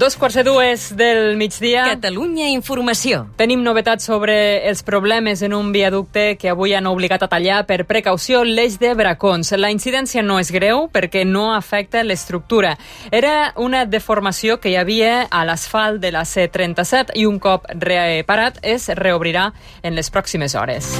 Dos quarts de dues del migdia. Catalunya Informació. Tenim novetats sobre els problemes en un viaducte que avui han obligat a tallar per precaució l'eix de Bracons. La incidència no és greu perquè no afecta l'estructura. Era una deformació que hi havia a l'asfalt de la C trenta-set i un cop reparat es reobrirà en les pròximes hores.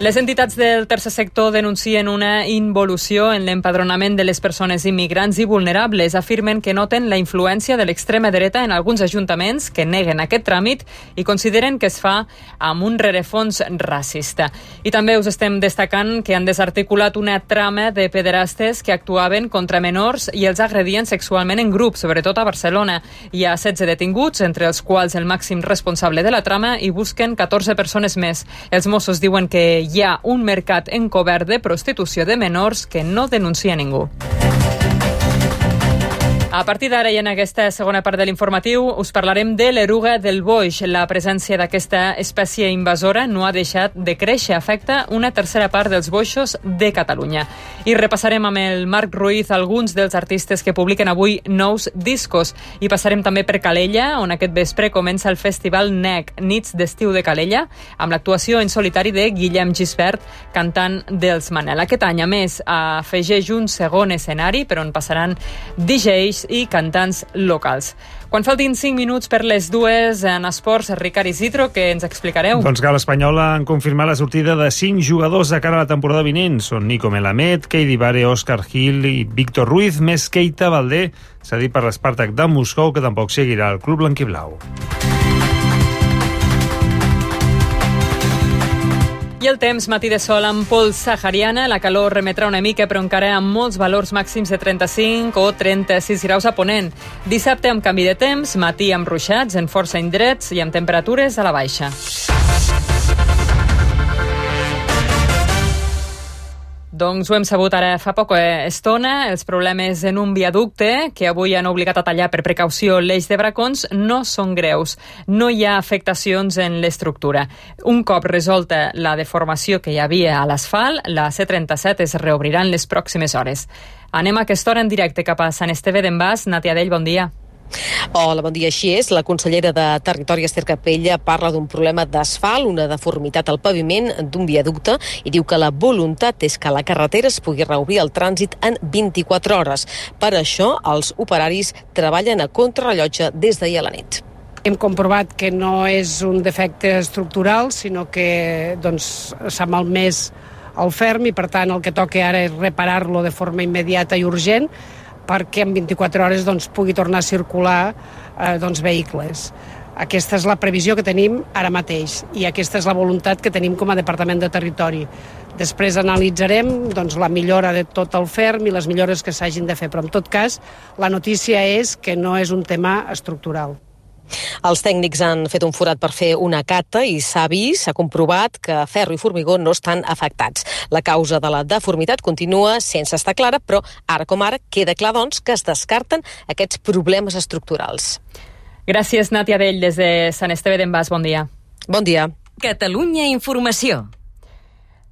Les entitats del tercer sector denuncien una involució en l'empadronament de les persones immigrants i vulnerables. Afirmen que noten la influència de l'extrema dreta en alguns ajuntaments que neguen aquest tràmit i consideren que es fa amb un rerefons racista. I també us estem destacant que han desarticulat una trama de pederastes que actuaven contra menors i els agredien sexualment en grup, sobretot a Barcelona. Hi ha setze detinguts, entre els quals el màxim responsable de la trama, i busquen catorze persones més. Els Mossos diuen que hi ha un mercat encobert de prostitució de menors que no denuncia ningú. A partir d'ara i en aquesta segona part de l'informatiu us parlarem de l'eruga del boix. La presència d'aquesta espècie invasora no ha deixat de créixer, afecta una tercera part dels boixos de Catalunya. I repassarem amb el Marc Ruiz alguns dels artistes que publiquen avui nous discos. I passarem també per Calella, on aquest vespre comença el festival N E C, Nits d'Estiu de Calella, amb l'actuació en solitari de Guillem Gisbert, cantant dels Manel. Aquest any, a més, afegeix un segon escenari per on passaran D Js i cantants locals. Quan faltin cinc minuts per les dues en esports, Ricard Isidro, que ens explicareu? Doncs que l'Espanyol han confirmat la sortida de cinc jugadors de cara a la temporada vinent. Són Nico Melamed, Keidi Bare, Òscar Gil i Víctor Ruiz, més Keita Valdé, s'ha dit per l'Spartak de Moscou, que tampoc seguirà el club blanquiblau. I el temps, matí de sol amb pols sahariana, la calor remetrà una mica, però encara amb molts valors màxims de trenta-cinc o trenta-sis graus a Ponent. Dissabte amb canvi de temps, matí amb ruixats en força indrets i amb temperatures a la baixa. Doncs ho hem sabut ara fa poca estona. Els problemes en un viaducte que avui han obligat a tallar per precaució l'eix de Bracons no són greus. No hi ha afectacions en l'estructura. Un cop resolta la deformació que hi havia a l'asfalt, la C trenta-set es reobrirà en les pròximes hores. Anem a aquesta hora en directe cap a Sant Esteve d'en Bas. Nàtia Dell, bon dia. Hola, bon dia. Així és, la consellera de Territori, Ester Capella, parla d'un problema d'asfalt, una deformitat al paviment d'un viaducte, i diu que la voluntat és que la carretera es pugui reobrir el trànsit en vint-i-quatre hores. Per això, els operaris treballen a contrarrellotge des d'ahir a la nit. Hem comprovat que no és un defecte estructural, sinó que doncs, s'ha malmès el ferm i, per tant, el que toca ara és reparar-lo de forma immediata i urgent, perquè en vint-i-quatre hores doncs, pugui tornar a circular eh, doncs, vehicles. Aquesta és la previsió que tenim ara mateix i aquesta és la voluntat que tenim com a Departament de Territori. Després analitzarem doncs, la millora de tot el ferm i les millores que s'hagin de fer, però en tot cas la notícia és que no és un tema estructural. Els tècnics han fet un forat per fer una cata i s'ha vist, s'ha comprovat que ferro i formigó no estan afectats. La causa de la deformitat continua sense estar clara, però ara com ara queda clar doncs, que es descarten aquests problemes estructurals. Gràcies, Nàtia Dell, des de Sant Esteve d'en Bas. Bon dia. Bon dia. Catalunya Informació.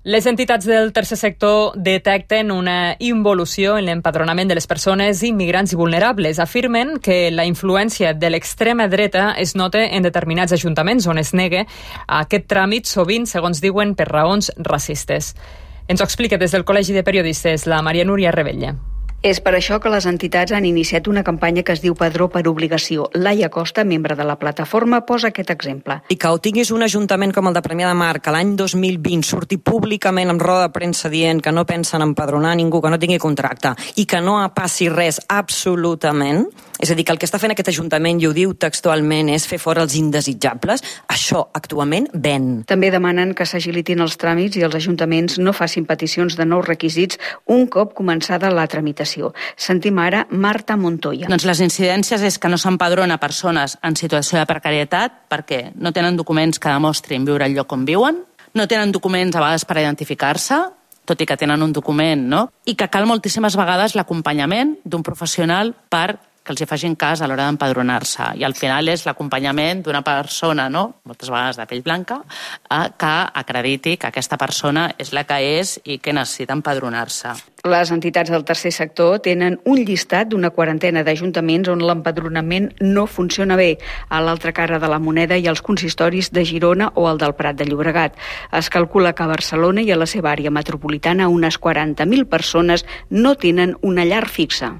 Les entitats del tercer sector detecten una involució en l'empadronament de les persones immigrants i vulnerables. Afirmen que la influència de l'extrema dreta es nota en determinats ajuntaments on es nega aquest tràmit, sovint, segons diuen, per raons racistes. Ens ho explica des del Col·legi de Periodistes la Maria Núria Rebella. És per això que les entitats han iniciat una campanya que es diu Padró per obligació. Laia Costa, membre de la plataforma, posa aquest exemple. I que ho tinguis un ajuntament com el de Premià de Mar, que l'any dos mil vint surti públicament amb roda de premsa dient que no pensen empadronar ningú que no tingui contracte i que no passi res absolutament, és a dir, que el que està fent aquest ajuntament, i ho diu textualment, és fer fora els indesitjables, això actualment ven. També demanen que s'agilitin els tràmits i els ajuntaments no facin peticions de nous requisits un cop començada la tramitació. Sentim ara Marta Montoya. Doncs les incidències és que no s'empadrona persones en situació de precarietat perquè no tenen documents que demostrin viure al lloc on viuen, no tenen documents a vegades per identificar-se, tot i que tenen un document, no? I que cal moltíssimes vegades l'acompanyament d'un professional per que els hi facin cas a l'hora d'empadronar-se. I al final és l'acompanyament d'una persona, no? Moltes vegades de pell blanca, que acrediti que aquesta persona és la que és i que necessita empadronar-se. Les entitats del tercer sector tenen un llistat d'una quarantena d'ajuntaments on l'empadronament no funciona bé, a l'altra cara de la moneda hi ha els consistoris de Girona o el del Prat de Llobregat. Es calcula que a Barcelona i a la seva àrea metropolitana unes quaranta mil persones no tenen una llar fixa.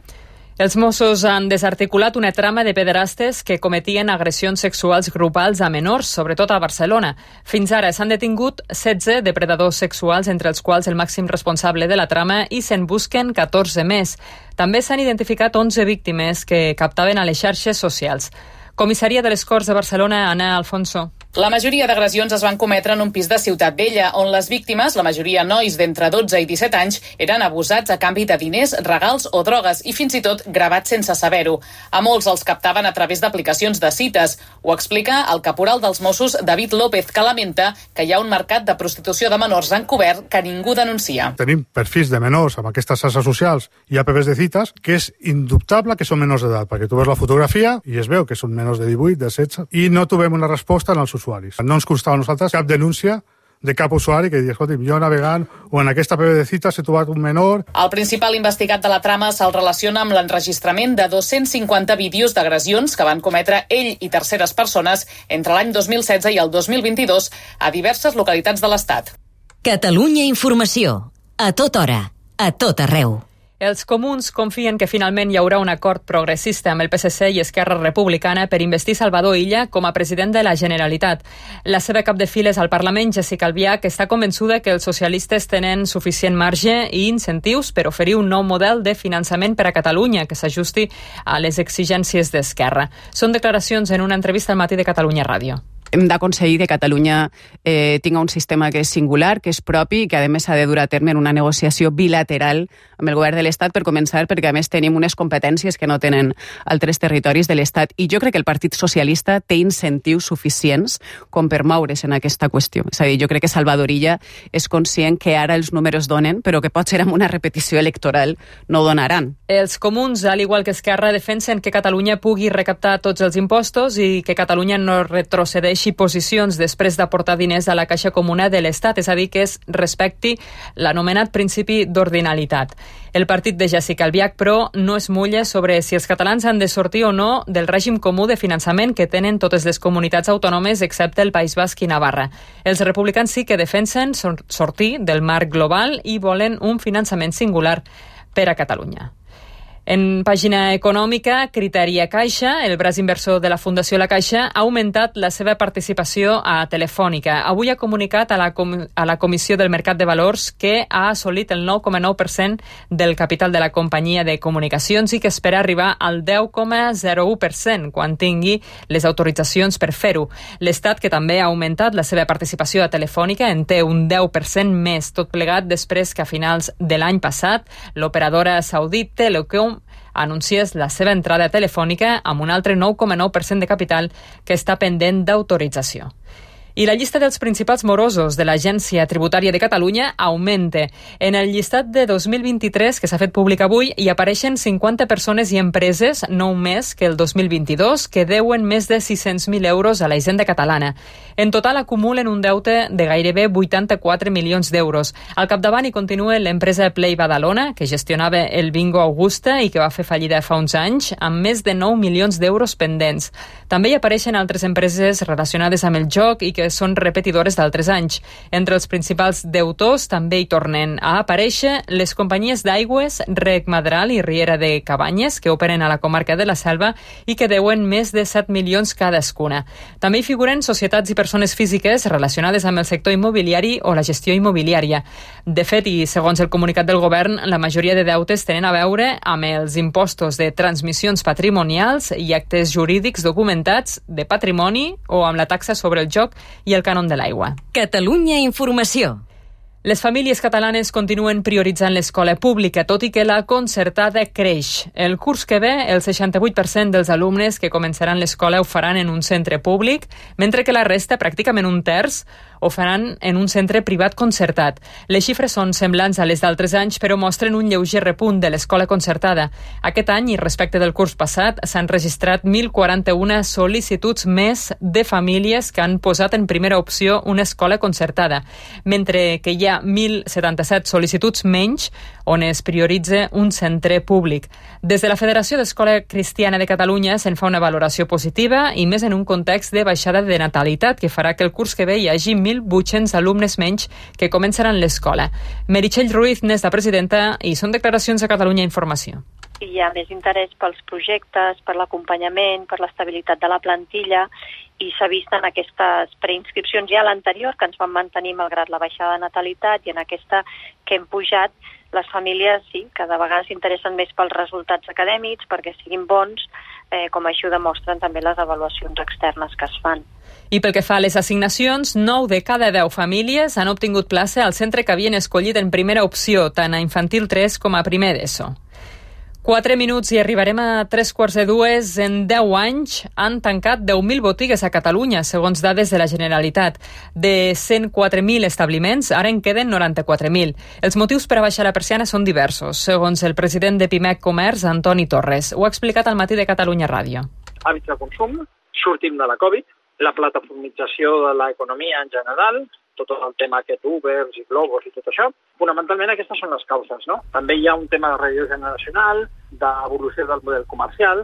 Els Mossos han desarticulat una trama de pederastes que cometien agressions sexuals grupals a menors, sobretot a Barcelona. Fins ara s'han detingut setze depredadors sexuals, entre els quals el màxim responsable de la trama, i se'n busquen catorze més. També s'han identificat onze víctimes que captaven a les xarxes socials. Comissaria de les Corts de Barcelona, Ana Alfonso. La majoria d'agressions es van cometre en un pis de Ciutat Vella, on les víctimes, la majoria nois d'entre dotze i disset anys, eren abusats a canvi de diners, regals o drogues i fins i tot gravats sense saber-ho. A molts els captaven a través d'aplicacions de cites. Ho explica el caporal dels Mossos, David López, que lamenta que hi ha un mercat de prostitució de menors encobert que ningú denuncia. Tenim perfils de menors amb aquestes xarxes socials i apps de cites que és indubtable que són menors d'edat, perquè tu veus la fotografia i es veu que són menors de divuit, de setze, i no trobem una resposta en els usuaris. No ens constava a nosaltres cap denúncia de cap usuari que digui, escolti, jo navegant o en aquesta app de cites he trobat un menor. El principal investigat de la trama se'l relaciona amb l'enregistrament de dos-cents cinquanta vídeos d'agressions que van cometre ell i terceres persones entre l'any dos mil setze i el dos mil vint-i-dos a diverses localitats de l'Estat. Catalunya Informació. A tota hora. A tot arreu. Els comuns confien que finalment hi haurà un acord progressista amb el P S C i Esquerra Republicana per investir Salvador Illa com a president de la Generalitat. La seva cap de files al Parlament, Jessica Albiach, està convençuda que els socialistes tenen suficient marge i incentius per oferir un nou model de finançament per a Catalunya que s'ajusti a les exigències d'Esquerra. Són declaracions en una entrevista al Matí de Catalunya Ràdio. Hem d'aconseguir que Catalunya eh, tinga un sistema que és singular, que és propi i que a més ha de dur a terme en una negociació bilateral amb el govern de l'Estat per començar, perquè a més tenim unes competències que no tenen altres territoris de l'Estat. I jo crec que el Partit Socialista té incentius suficients com per moure's en aquesta qüestió. És a dir, jo crec que Salvador Illa és conscient que ara els números donen, però que potser amb una repetició electoral no donaran. Els comuns, al igual que Esquerra, defensen que Catalunya pugui recaptar tots els impostos i que Catalunya no retrocedeixi posicions després d'aportar diners a la Caixa Comuna de l'Estat, és a dir, que es respecti l'anomenat principi d'ordinalitat. El partit de Jessica Albiach, però, no es mulla sobre si els catalans han de sortir o no del règim comú de finançament que tenen totes les comunitats autònomes excepte el País Basc i Navarra. Els republicans sí que defensen sortir del marc global i volen un finançament singular per a Catalunya. En pàgina econòmica, Criteria Caixa, el braç inversor de la Fundació La Caixa, ha augmentat la seva participació a Telefònica. Avui ha comunicat a la, com a la Comissió del Mercat de Valors que ha assolit el nou coma nou per cent del capital de la companyia de comunicacions i que espera arribar al deu coma zero u per cent quan tingui les autoritzacions per fer-ho. L'Estat, que també ha augmentat la seva participació a Telefònica, en té un deu per cent més, tot plegat després que a finals de l'any passat l'operadora saudita Telecom anunciés la seva entrada telefònica amb un altre nou coma nou per cent de capital que està pendent d'autorització. I la llista dels principals morosos de l'Agència Tributària de Catalunya augmenta. En el llistat de dos mil vint-i-tres, que s'ha fet públic avui, hi apareixen cinquanta persones i empreses, nou més que el dos mil vint-i-dos, que deuen més de sis-cents mil euros a la Hisenda catalana. En total acumulen un deute de gairebé vuitanta-quatre milions d'euros. Al capdavant hi continua l'empresa Play Badalona, que gestionava el Bingo Augusta i que va fer fallida fa uns anys, amb més de nou milions d'euros pendents. També hi apareixen altres empreses relacionades amb el joc i que que són repetidores d'altres anys. Entre els principals deutors també hi tornen a aparèixer les companyies d'aigües Rec Madral i Riera de Cabanyes, que operen a la comarca de la Selva i que deuen més de set milions cadascuna. També hi figuren societats i persones físiques relacionades amb el sector immobiliari o la gestió immobiliària. De fet, i segons el comunicat del govern, la majoria de deutes tenen a veure amb els impostos de transmissions patrimonials i actes jurídics documentats de patrimoni o amb la taxa sobre el joc i el cànon de l'aigua. Catalunya Informació. Les famílies catalanes continuen prioritzant l'escola pública, tot i que la concertada creix. El curs que ve, el seixanta-vuit per cent dels alumnes que començaran l'escola ho faran en un centre públic, mentre que la resta, pràcticament un terç, ho faran en un centre privat concertat. Les xifres són semblants a les d'altres anys, però mostren un lleuger repunt de l'escola concertada. Aquest any, i respecte del curs passat, s'han registrat mil quaranta-una sol·licituds més de famílies que han posat en primera opció una escola concertada, mentre que hi ha mil setanta-set sol·licituds menys on es prioritza un centre públic. Des de la Federació d'Escola Cristiana de Catalunya se'n fa una valoració positiva i més en un context de baixada de natalitat que farà que el curs que ve hi hagi mil vuit-cents alumnes menys que començaran l'escola. Meritxell Ruiz n'és la presidenta i són declaracions a Catalunya Informació. Hi ha més interès pels projectes, per l'acompanyament, per l'estabilitat de la plantilla i s'ha vist en aquestes preinscripcions ja a l'anterior, que ens van mantenir malgrat la baixada de natalitat, i en aquesta que hem pujat, les famílies sí, cada vegada s'interessen més pels resultats acadèmics, perquè siguin bons, eh, com així ho demostren també les avaluacions externes que es fan. I pel que fa a les assignacions, nou de cada deu famílies han obtingut plaça al centre que havien escollit en primera opció, tant a infantil tres com a primer d'ESO. Quatre minuts i arribarem a tres quarts de dues. En deu anys han tancat deu mil botigues a Catalunya, segons dades de la Generalitat. De cent quatre mil establiments, ara en queden noranta-quatre mil. Els motius per a baixar la persiana són diversos, segons el president de Pimec Comerç, Antoni Torres. Ho ha explicat al matí de Catalunya Ràdio. Hàbits de consum, sortim de la Covid, la plataformització de l'economia en general, tot el tema aquest Ubers i Globos i tot això. Fonamentalment aquestes són les causes, no? També hi ha un tema de relleu generacional, d'evolució del model comercial.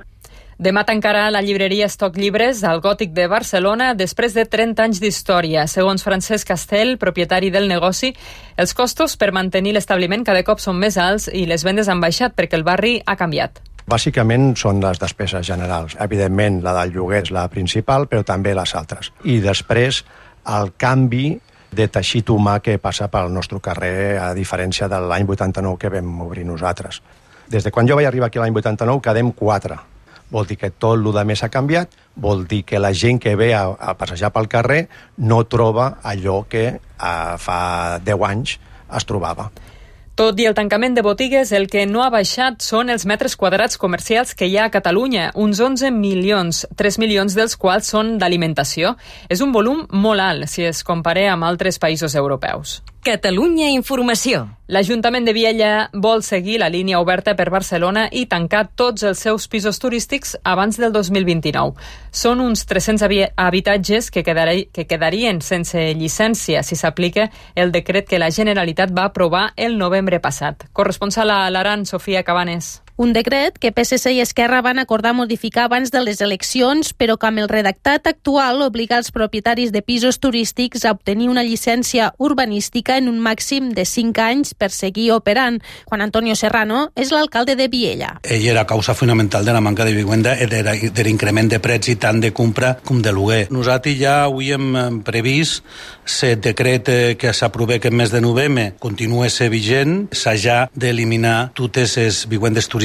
Demà tancarà la llibreria Estoc Llibres al Gòtic de Barcelona després de trenta anys d'història. Segons Francesc Castell, propietari del negoci, els costos per mantenir l'establiment cada cop són més alts i les vendes han baixat perquè el barri ha canviat. Bàsicament són les despeses generals. Evidentment, la del lloguer és la principal, però també les altres. I després, el canvi de teixit humà que passa pel nostre carrer, a diferència de l'any vuitanta-nou que vam obrir nosaltres. Des de quan jo vaig arribar aquí l'any vuitanta-nou, quedem quatre. Vol dir que tot el que més ha canviat, vol dir que la gent que ve a, a passejar pel carrer no troba allò que a, fa deu anys es trobava. Tot i el tancament de botigues, el que no ha baixat són els metres quadrats comercials que hi ha a Catalunya, uns onze milions, tres milions dels quals són d'alimentació. És un volum molt alt si es compara amb altres països europeus. Catalunya Informació. L'Ajuntament de Viella vol seguir la línia oberta per Barcelona i tancar tots els seus pisos turístics abans del dos mil vint-i-nou. Són uns tres-cents habitatges que, quedari, que quedarien sense llicència si s'aplica el decret que la Generalitat va aprovar el novembre passat. Corresponsal a l'Aran, Sofia Cabanes. Un decret que P S C i Esquerra van acordar modificar abans de les eleccions, però que amb el redactat actual obliga els propietaris de pisos turístics a obtenir una llicència urbanística en un màxim de cinc anys per seguir operant. Juan Antonio Serrano és l'alcalde de Viella. Ell era causa fonamental de la manca de vivenda i de l'increment de preus i tant de compra com de lloguer. Nosaltres ja avui hem previst el decret que s'aprova aquest mes de novembre continua ser vigent, s'ha ja d'eliminar totes les vivendes turístiques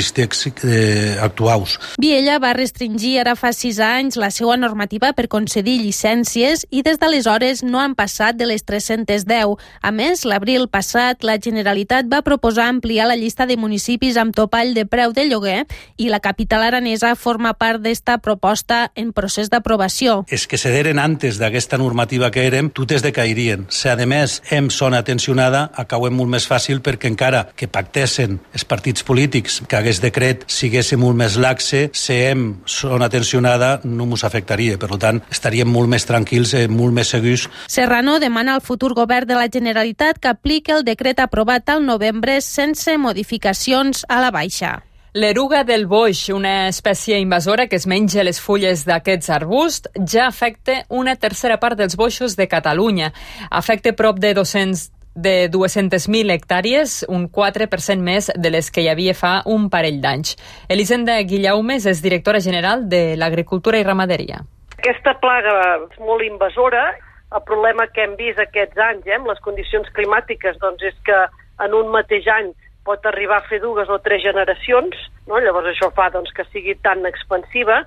actuals. Viella va restringir ara fa sis anys la seva normativa per concedir llicències i des d'aleshores no han passat de les tres-centes deu. A més, l'abril passat, la Generalitat va proposar ampliar la llista de municipis amb topall de preu de lloguer i la capital aranesa forma part d'esta proposta en procés d'aprovació. És que cederen antes d'aquesta normativa que érem, totes decairien. Si a més hem zona tensionada, acabem molt més fàcil perquè encara que pactessin els partits polítics que aquest decret sigués molt més laxe, si hem zona tensionada no ens afectaria. Per tant, estaríem molt més tranquils i molt més segurs. Serrano demana al futur govern de la Generalitat que apliqui el decret aprovat al novembre sense modificacions a la baixa. L'eruga del boix, una espècie invasora que es menja les fulles d'aquests arbusts, ja afecta una tercera part dels boixos de Catalunya. Afecta prop de dos-cents de dues-centes mil hectàrees, un quatre per cent més de les que hi havia fa un parell d'anys. Elisenda Guillaumes és directora general de l'Agricultura i Ramaderia. Aquesta plaga és molt invasora. El problema que hem vist aquests anys, eh, amb les condicions climàtiques, doncs és que en un mateix any pot arribar a fer dues o tres generacions, no? Llavors això fa doncs, que sigui tan expansiva.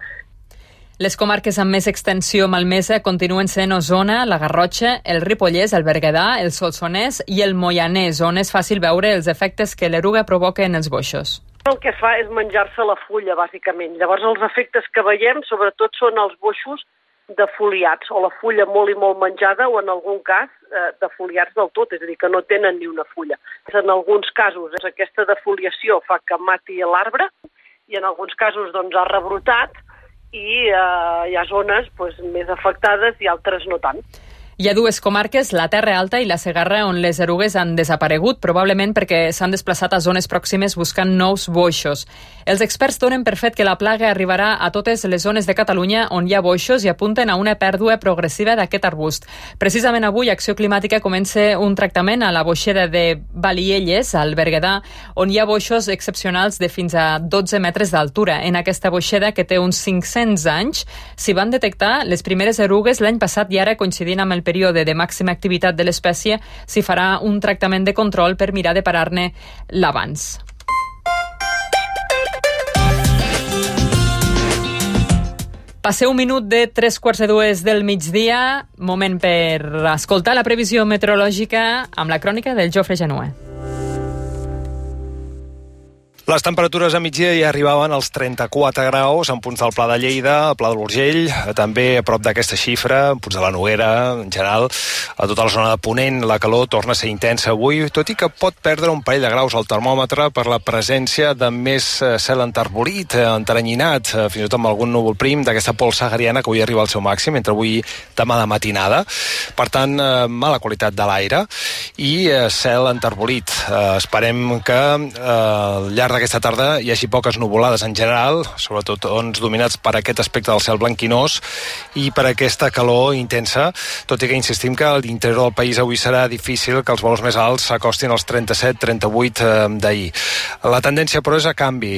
Les comarques amb més extensió malmesa continuen sent Osona, la Garrotxa, el Ripollès, el Berguedà, el Solsonès i el Moianès, on és fàcil veure els efectes que l'eruga provoca en els boixos. El que fa és menjar-se la fulla, bàsicament. Llavors els efectes que veiem sobretot són els boixos defoliats, o la fulla molt i molt menjada, o en algun cas eh, defoliats del tot, és a dir, que no tenen ni una fulla. En alguns casos aquesta defoliació fa que mati l'arbre i en alguns casos doncs, ha rebrotat i eh, hi ha zones doncs, més afectades i altres no tant. Hi ha dues comarques, la Terra Alta i la Segarra, on les erugues han desaparegut, probablement perquè s'han desplaçat a zones pròximes buscant nous boixos. Els experts donen per fet que la plaga arribarà a totes les zones de Catalunya on hi ha boixos i apunten a una pèrdua progressiva d'aquest arbust. Precisament avui, Acció Climàtica comença un tractament a la boixera de Balielles, al Berguedà, on hi ha boixos excepcionals de fins a dotze metres d'altura. En aquesta boixera, que té uns cinc-cents anys, s'hi van detectar les primeres erugues l'any passat i ara, coincidint amb el període de màxima activitat de l'espècie, s'hi farà un tractament de control per mirar de parar-ne l'abans. Passeu un minut de tres quarts de dues del migdia, moment per escoltar la previsió meteorològica amb la crònica del Jofre Genuer. Les temperatures a migdia ja arribaven als trenta-quatre graus en punts del Pla de Lleida, al Pla de l'Urgell, també a prop d'aquesta xifra, en punts de la Noguera, en general, a tota la zona de Ponent, la calor torna a ser intensa avui, tot i que pot perdre un parell de graus al termòmetre per la presència de més cel enterbolit, enteranyinat, fins i tot amb algun núvol prim d'aquesta pols sahariana que avui arriba al seu màxim, entre avui i demà de matinada. Per tant, mala qualitat de l'aire i cel enterbolit. Esperem que al llarg d'aquesta tarda hi hagi poques nuvolades en general, sobretot ons dominats per aquest aspecte del cel blanquinós i per aquesta calor intensa, tot i que insistim que a l'interior del país avui serà difícil que els valors més alts s'acostin als trenta-set trenta-vuit d'ahir. La tendència, però, és a canvi.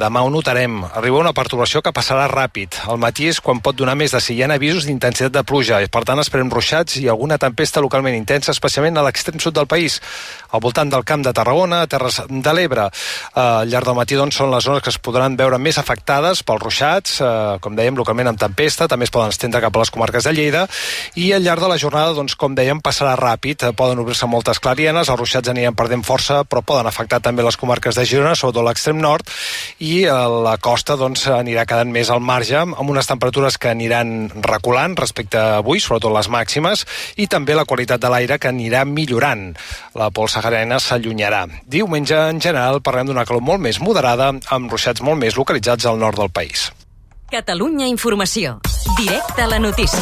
Demà ho notarem. Arriba una pertorbació que passarà ràpid. Al matí és quan pot donar més de si hi ha avisos d'intensitat de pluja. Per tant, esperem ruixats i alguna tempesta localment intensa, especialment a l'extrem sud del país, al voltant del Camp de Tarragona, a Terres de l'Ebre. Al llarg del matí doncs, són les zones que es podran veure més afectades pels ruixats, eh, com dèiem, localment amb tempesta, també es poden estendre cap a les comarques de Lleida, i al llarg de la jornada, doncs, com dèiem, passarà ràpid, eh, poden obrir-se moltes clarienes, els ruixats aniran perdent força, però poden afectar també les comarques de Girona, sobretot l'extrem nord, i eh, la costa doncs, anirà quedant més al marge, amb unes temperatures que aniran reculant respecte a avui, sobretot les màximes, i també la qualitat de l'aire que anirà millorant. La pols sahariana s'allunyarà. Diumenge, en general, parlem d'una calor molt més moderada, amb ruixats molt més localitzats al nord del país. Catalunya Informació. Directe a la notícia.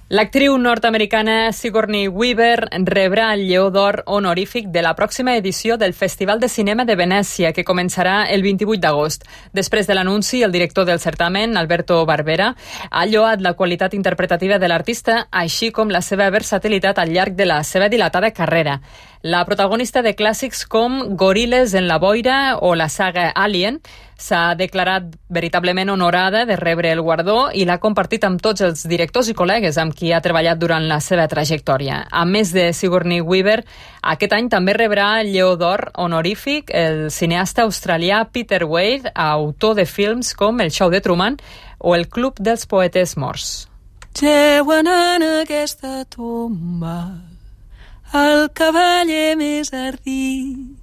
L'actriu nord-americana Sigourney Weaver rebrà el Lleó d'Or honorífic de la pròxima edició del Festival de Cinema de Venècia, que començarà el vint-i-vuit d'agost. Després de l'anunci, el director del certamen, Alberto Barbera, ha lloat la qualitat interpretativa de l'artista, així com la seva versatilitat al llarg de la seva dilatada carrera. La protagonista de clàssics com Gorilles en la boira o la saga Alien s'ha declarat veritablement honorada de rebre el guardó i l'ha compartit amb tots els directors i col·legues amb qui ha treballat durant la seva trajectòria. A més de Sigourney Weaver, aquest any també rebrà el Lleó d'Or honorífic el cineasta australià Peter Weir, autor de films com El show de Truman o El club dels poetes morts. Jeuen en aquesta tomba el cavaller més ardit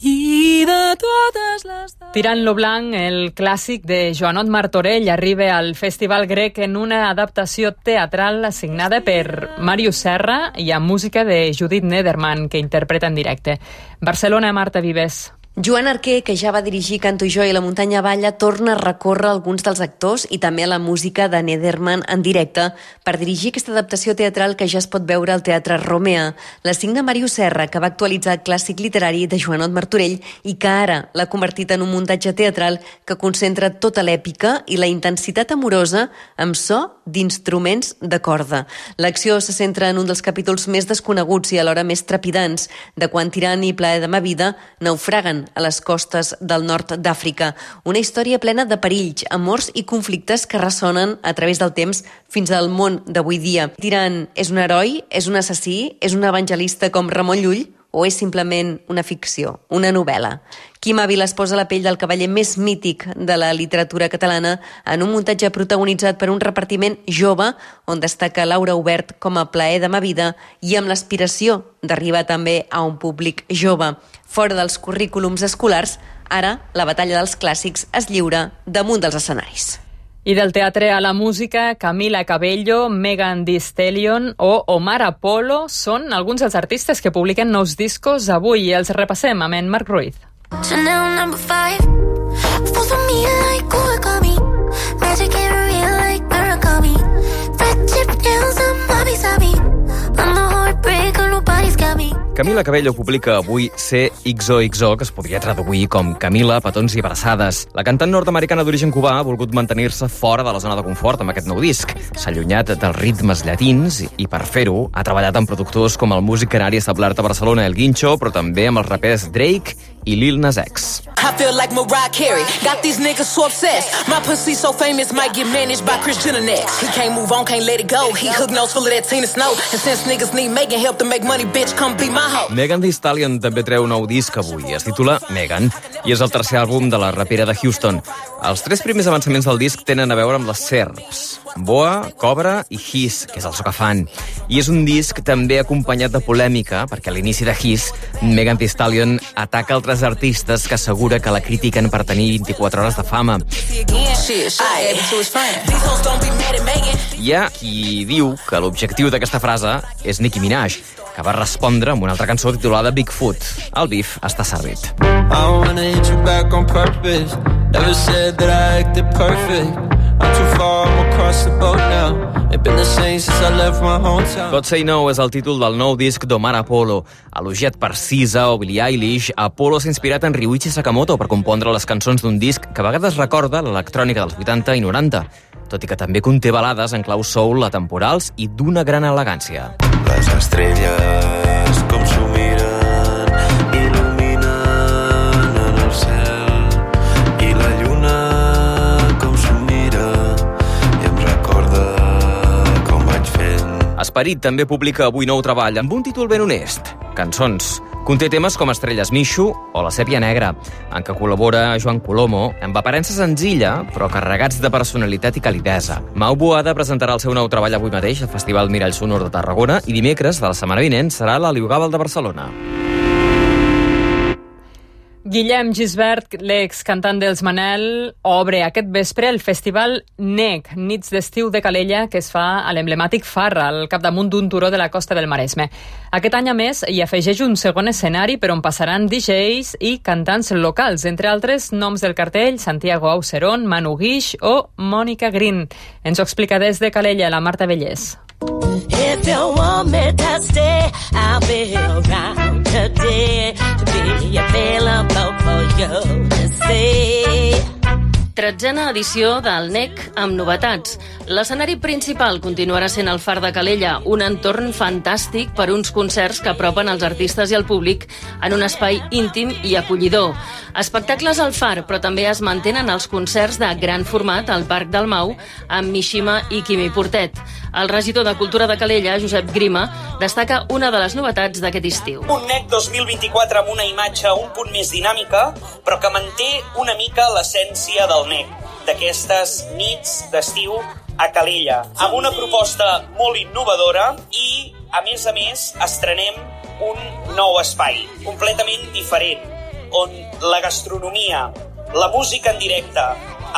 i de totes les... Tirant lo blanc, el clàssic de Joanot Martorell arriba al Festival Grec en una adaptació teatral assignada per Màrius Serra i amb música de Judith Nederman, que interpreta en directe. Barcelona, Marta Vives. Joan Arquer, que ja va dirigir Canto jo i La muntanya balla, torna a recórrer alguns dels actors i també a la música de Nederman en directe per dirigir aquesta adaptació teatral que ja es pot veure al Teatre Romea. La signa Màrius Serra, que va actualitzar el clàssic literari de Joanot Martorell i que ara l'ha convertit en un muntatge teatral que concentra tota l'èpica i la intensitat amorosa amb so d'instruments de corda. L'acció se centra en un dels capítols més desconeguts i alhora més trepidants de quan Tirant i Plaer de ma vida naufraguen a les costes del nord d'Àfrica. Una història plena de perills, amors i conflictes que ressonen a través del temps fins al món d'avui dia. Tirant és un heroi, és un assassí, és un evangelista com Ramon Llull o és simplement una ficció, una novel·la? Quim Ávila es posa la pell del cavaller més mític de la literatura catalana en un muntatge protagonitzat per un repartiment jove on destaca Laura Obert com a Plaer de ma vida i amb l'aspiració d'arribar també a un públic jove. Fora dels currículums escolars, ara la batalla dels clàssics es lliura damunt dels escenaris. I del teatre a la música, Camila Cabello, Megan Thee Stallion o Omar Apollo són alguns dels artistes que publiquen nous discos avui i els repassem amb en Marc Ruiz. Chanel number five, follow me like origami, magic and real like Murakami, red chip nails and wabi sabi, I'm a heartbreaker, nobody's got me. Camila Cabello publica avui C X O X O, que es podria traduir com Camila, petons i abraçades. La cantant nord-americana d'origen cubà ha volgut mantenir-se fora de la zona de confort amb aquest nou disc. S'ha allunyat dels ritmes llatins i, per fer-ho, ha treballat amb productors com el músic canari establert a Barcelona, El Guincho, però també amb els rapers Drake i Lil Nas X. I feel like Mariah Carey, got these niggas so obsessed. My pussy so famous, might get managed by Kris Jenner next. He can't move on, can't let it go. He hook nose full of that Tina Snow. And since niggas need making help to make money, bitch, come be my hoe. Megan Thee Stallion també treu un nou disc avui. Es titula Megan i és el tercer àlbum de la rapera de Houston. Els tres primers avançaments del disc tenen a veure amb les serps: Boa, Cobra i His, que és el so que fan. I és un disc també acompanyat de polèmica, perquè a l'inici de His, Megan Thee Stallion ataca altres artistes que assegura que la critiquen per tenir vint-i-quatre hores de fama. Hi ha qui diu que l'objectiu d'aquesta frase és Nicki Minaj, que va respondre amb una altra cançó titulada Bigfoot. El bif està servit. I wanna hit you back on purpose. Never said that I acted perfect. I'm too far, I'm across the boat now. It's been the same since I left my hometown. God Say No és el títol del nou disc d'Omar Apollo. Elogiat per S Z A o Billie Eilish, Apollo s'ha inspirat en Ryuichi Sakamoto per compondre les cançons d'un disc que a vegades recorda l'electrònica dels vuitanta i noranta, tot i que també conté balades en clau soul atemporals i d'una gran elegància. Les estrelles com s'ho miren, il·luminen en el cel, i la lluna com s'ho mira i em recorda com vaig fent. Esperit també publica avui nou treball amb un títol ben honest, Cançons. Conté temes com Estrelles Mixo o La Sèpia Negra, en què col·labora Joan Colomo, amb aparença senzilla, però carregats de personalitat i calidesa. Mau Boada presentarà el seu nou treball avui mateix al Festival Mirall Sonor de Tarragona i dimecres de la setmana vinent serà a la Liugàbal de Barcelona. Guillem Gisbert, l'excantant dels Manel, obre aquest vespre el festival N E C, Nits d'Estiu de Calella, que es fa a l'emblemàtic Farra, al capdamunt d'un turó de la costa del Maresme. Aquest any, a més, hi afegeix un segon escenari per on passaran D Js i cantants locals, entre altres noms del cartell, Santiago Auserón, Manu Guix o Mònica Green. Ens ho explica des de Calella la Marta Vellés. If you want me to stay, I'll be around today to be available for you to see. Tretzena edició del N E C amb novetats. L'escenari principal continuarà sent el Far de Calella, un entorn fantàstic per uns concerts que apropen els artistes i el públic en un espai íntim i acollidor. Espectacles al Far, però també es mantenen els concerts de gran format al Parc del Mau amb Mishima i Quimi Portet. El regidor de Cultura de Calella, Josep Grima, destaca una de les novetats d'aquest estiu. Un N E C dos mil vint-i-quatre amb una imatge un punt més dinàmica, però que manté una mica l'essència del N E C, d'aquestes nits d'estiu a Calella, amb una proposta molt innovadora i, a més a més, estrenem un nou espai, completament diferent, on la gastronomia, la música en directe,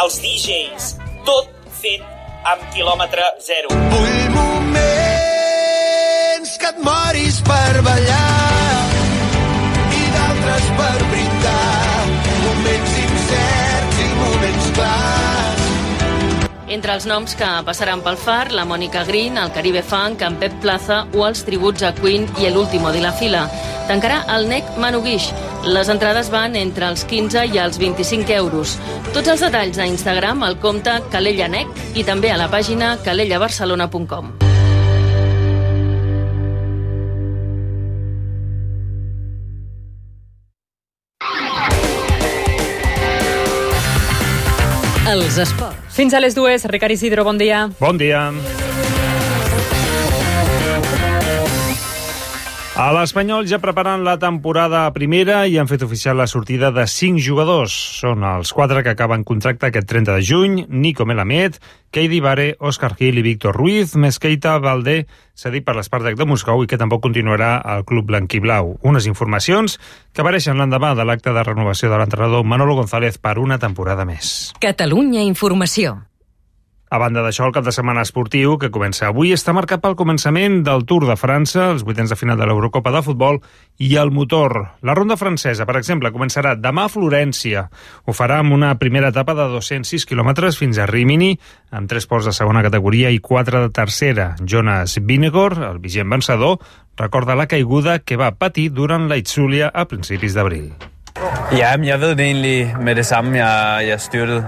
els D Js, tot fet amb quilòmetre zero. Vull moments que et moris per ballar i d'altres per brindar. els noms que passaran pel Far, la Mònica Green, el Caribe Funk, en Pep Plaza o els tributs a Queen i El Último de la Fila. Tancarà el N E C Manu Guix. Les entrades van entre els quinze i els vint-i-cinc euros. Tots els detalls a Instagram, al compte Calella N E C i també a la pàgina calella barcelona punt com. Els esports. Fins a les dues, Ricard Isidro, bon dia. Bon dia. A l'Espanyol ja preparen la temporada primera i han fet oficial la sortida de cinc jugadors. Són els quatre que acaben contracte aquest trenta de juny, Nico Melamed, Keidi Bare, Òscar Gil i Víctor Ruiz, més Keita Valdé, cedit per l'Spartak de Moscou i que tampoc continuarà al club blanquiblau. Unes informacions que apareixen l'endemà de l'acte de renovació de l'entrenador Manolo González per una temporada més. Catalunya Informació. A banda d'això, el cap de setmana esportiu, que comença avui, està marcat pel començament del Tour de França, els vuitens de final de l'Eurocopa de futbol i el motor. La ronda francesa, per exemple, començarà demà a Florència. Ho farà amb una primera etapa de dos-cents sis quilòmetres fins a Rímini, amb tres ports de segona categoria i quatre de tercera. Jonas Vingegaard, el vigent vencedor, recorda la caiguda que va patir durant la Itzulia a principis d'abril. Ja, jeg ved det egentlig med det samme, jeg, jeg styrtede.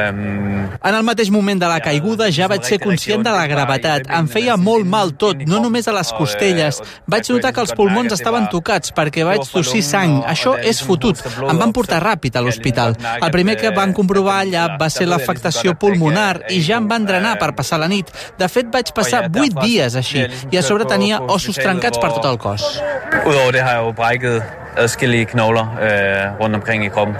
Um... En el mateix moment de la caiguda ja vaig ser conscient de la gravetat. Em feia molt mal tot, no només a les costelles. Vaig notar que els pulmons estaven tocats perquè vaig tossir sang. Això és fotut. Em van portar ràpid a l'hospital. El primer que van comprovar allà va ser l'afectació pulmonar i ja em van drenar per passar la nit. De fet, vaig passar vuit dies així i a sobre tenia ossos trencats per tot el cos. Udover det har jeg jo brækket adskillige knogler øh, rundt omkring i kroppen.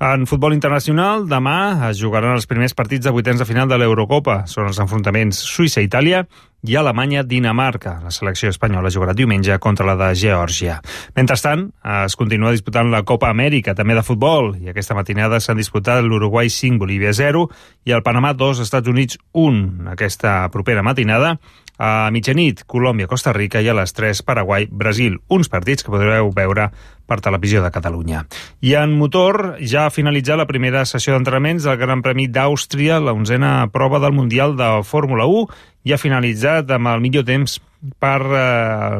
En futbol internacional, demà es jugaran els primers partits de vuitens de final de l'Eurocopa. Són els enfrontaments Suïssa-Itàlia i Alemanya-Dinamarca. La selecció espanyola jugarà diumenge contra la de Geòrgia. Mentrestant, es continua disputant la Copa Amèrica, també de futbol, i aquesta matinada s'han disputat l'Uruguai cinc, Bolívia zero i el Panamà dos, Estats Units un. Aquesta propera matinada, a mitjanit, Colòmbia-Costa Rica i a les tres, Paraguai-Brasil. Uns partits que podreu veure per Televisió de Catalunya. I en motor, ja ha finalitzat la primera sessió d'entrenaments del Gran Premi d'Àustria, la onzena prova del Mundial de Fórmula u, i ha finalitzat amb el millor temps per eh,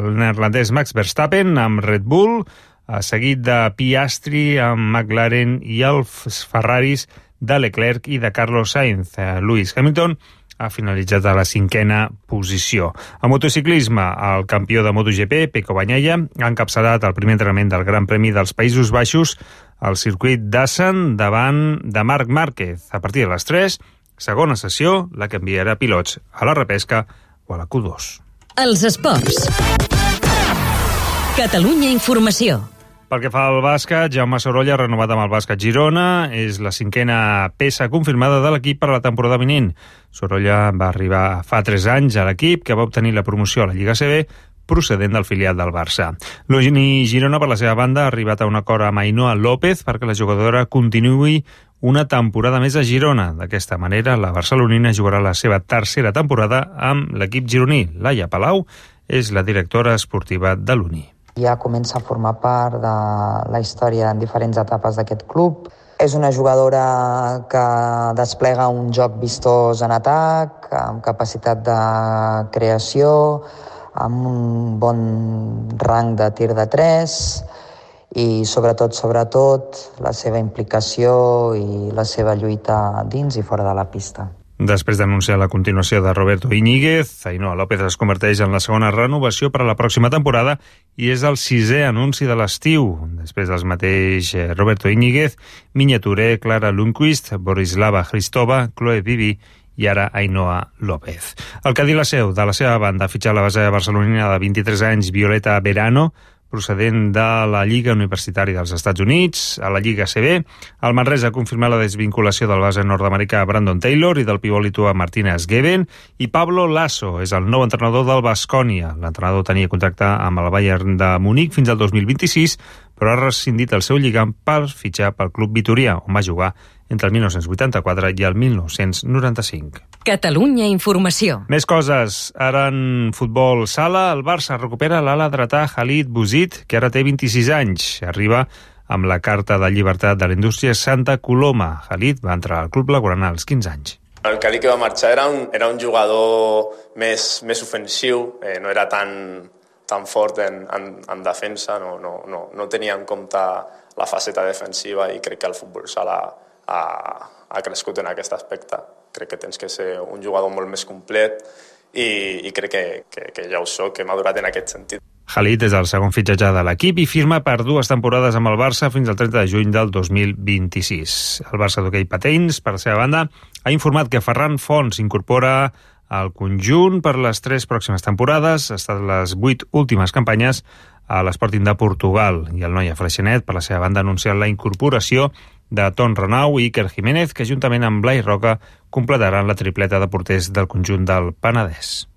el neerlandès Max Verstappen amb Red Bull, eh, seguit de Piastri amb McLaren i els Ferraris de Leclerc i de Carlos Sainz. Eh, Lewis Hamilton ha finalitzat a la cinquena posició. A motociclisme, el campió de MotoGP, Pecco Bagnaia, ha encapçalat el primer entrenament del Gran Premi dels Països Baixos al circuit d'Assen davant de Marc Márquez. A partir de les tres, segona sessió, la que enviarà pilots a la repesca o a la Q dos. Els esports. Catalunya Informació. Pel que fa al bàsquet, Jaume Sorolla, renovat amb el bàsquet Girona, és la cinquena peça confirmada de l'equip per a la temporada vinent. Sorolla va arribar fa tres anys a l'equip, que va obtenir la promoció a la Lliga A C B, procedent del filial del Barça. L'Uni Girona, per la seva banda, ha arribat a un acord amb Ainhoa López perquè la jugadora continuï una temporada més a Girona. D'aquesta manera, la barcelonina jugarà la seva tercera temporada amb l'equip gironí. Laia Palau és la directora esportiva de l'Uni. Ja comença a formar part de la història en diferents etapes d'aquest club. És una jugadora que desplega un joc vistós en atac, amb capacitat de creació, amb un bon rang de tir de tres i sobretot, sobretot, la seva implicació i la seva lluita dins i fora de la pista. Després d'anunciar la continuació de Roberto Íñiguez, Ainhoa López es converteix en la segona renovació per a la pròxima temporada i és el sisè anunci de l'estiu. Després dels mateix Roberto Íñiguez, Minya Touré, Clara Lundquist, Borislava Hristova, Chloe Vivi i ara Ainhoa López. El Cadí la Seu, de la seva banda, ha fitxat la base barcelonina de vint-i-tres anys Violeta Verano, procedent de la Lliga Universitària dels Estats Units, a la Lliga A C B. El Manresa ha confirmat la desvinculació del base nord-americà Brandon Taylor i del pivot lituà Martínez Geben, i Pablo Lasso és el nou entrenador del Baskonia. L'entrenador tenia contracte amb el Bayern de Munic fins al dos mil vint-i-sis, però ha rescindit el seu lligam per fitxar pel club vitorià, on va jugar entre el mil nou-cents vuitanta-quatre i el mil nou-cents noranta-cinc. Catalunya Informació. Més coses. Ara en futbol sala, el Barça recupera l'ala dretà Khalid Bouzid, que ara té vint-i-sis anys. Arriba amb la carta de llibertat de la indústria Santa Coloma. Khalid va entrar al club blaugrana als quinze anys. El Cali que va marxar era un, era un jugador més, més ofensiu, eh, no era tan, tan fort en, en, en defensa, no, no, no, no tenia en compte la faceta defensiva i crec que el futbol sala ha, ha crescut en aquest aspecte. Crec que tens que ser un jugador molt més complet i, i crec que, que, que ja ho soc, que he madurat en aquest sentit. Khalid és el segon fitxatge de l'equip i firma per dues temporades amb el Barça fins al trenta de juny del dos mil vint-i-sis. El Barça d'hoquei patins, per la seva banda, ha informat que Ferran Font s'incorpora al conjunt per les tres pròximes temporades. Ha estat les vuit últimes campanyes a l'Sporting de Portugal i el Noia Freixenet, per la seva banda, ha anunciat la incorporació de Ton Renau i Iker Jiménez, que juntament amb Blai Roca completaran la tripleta de porters del conjunt del Penedès.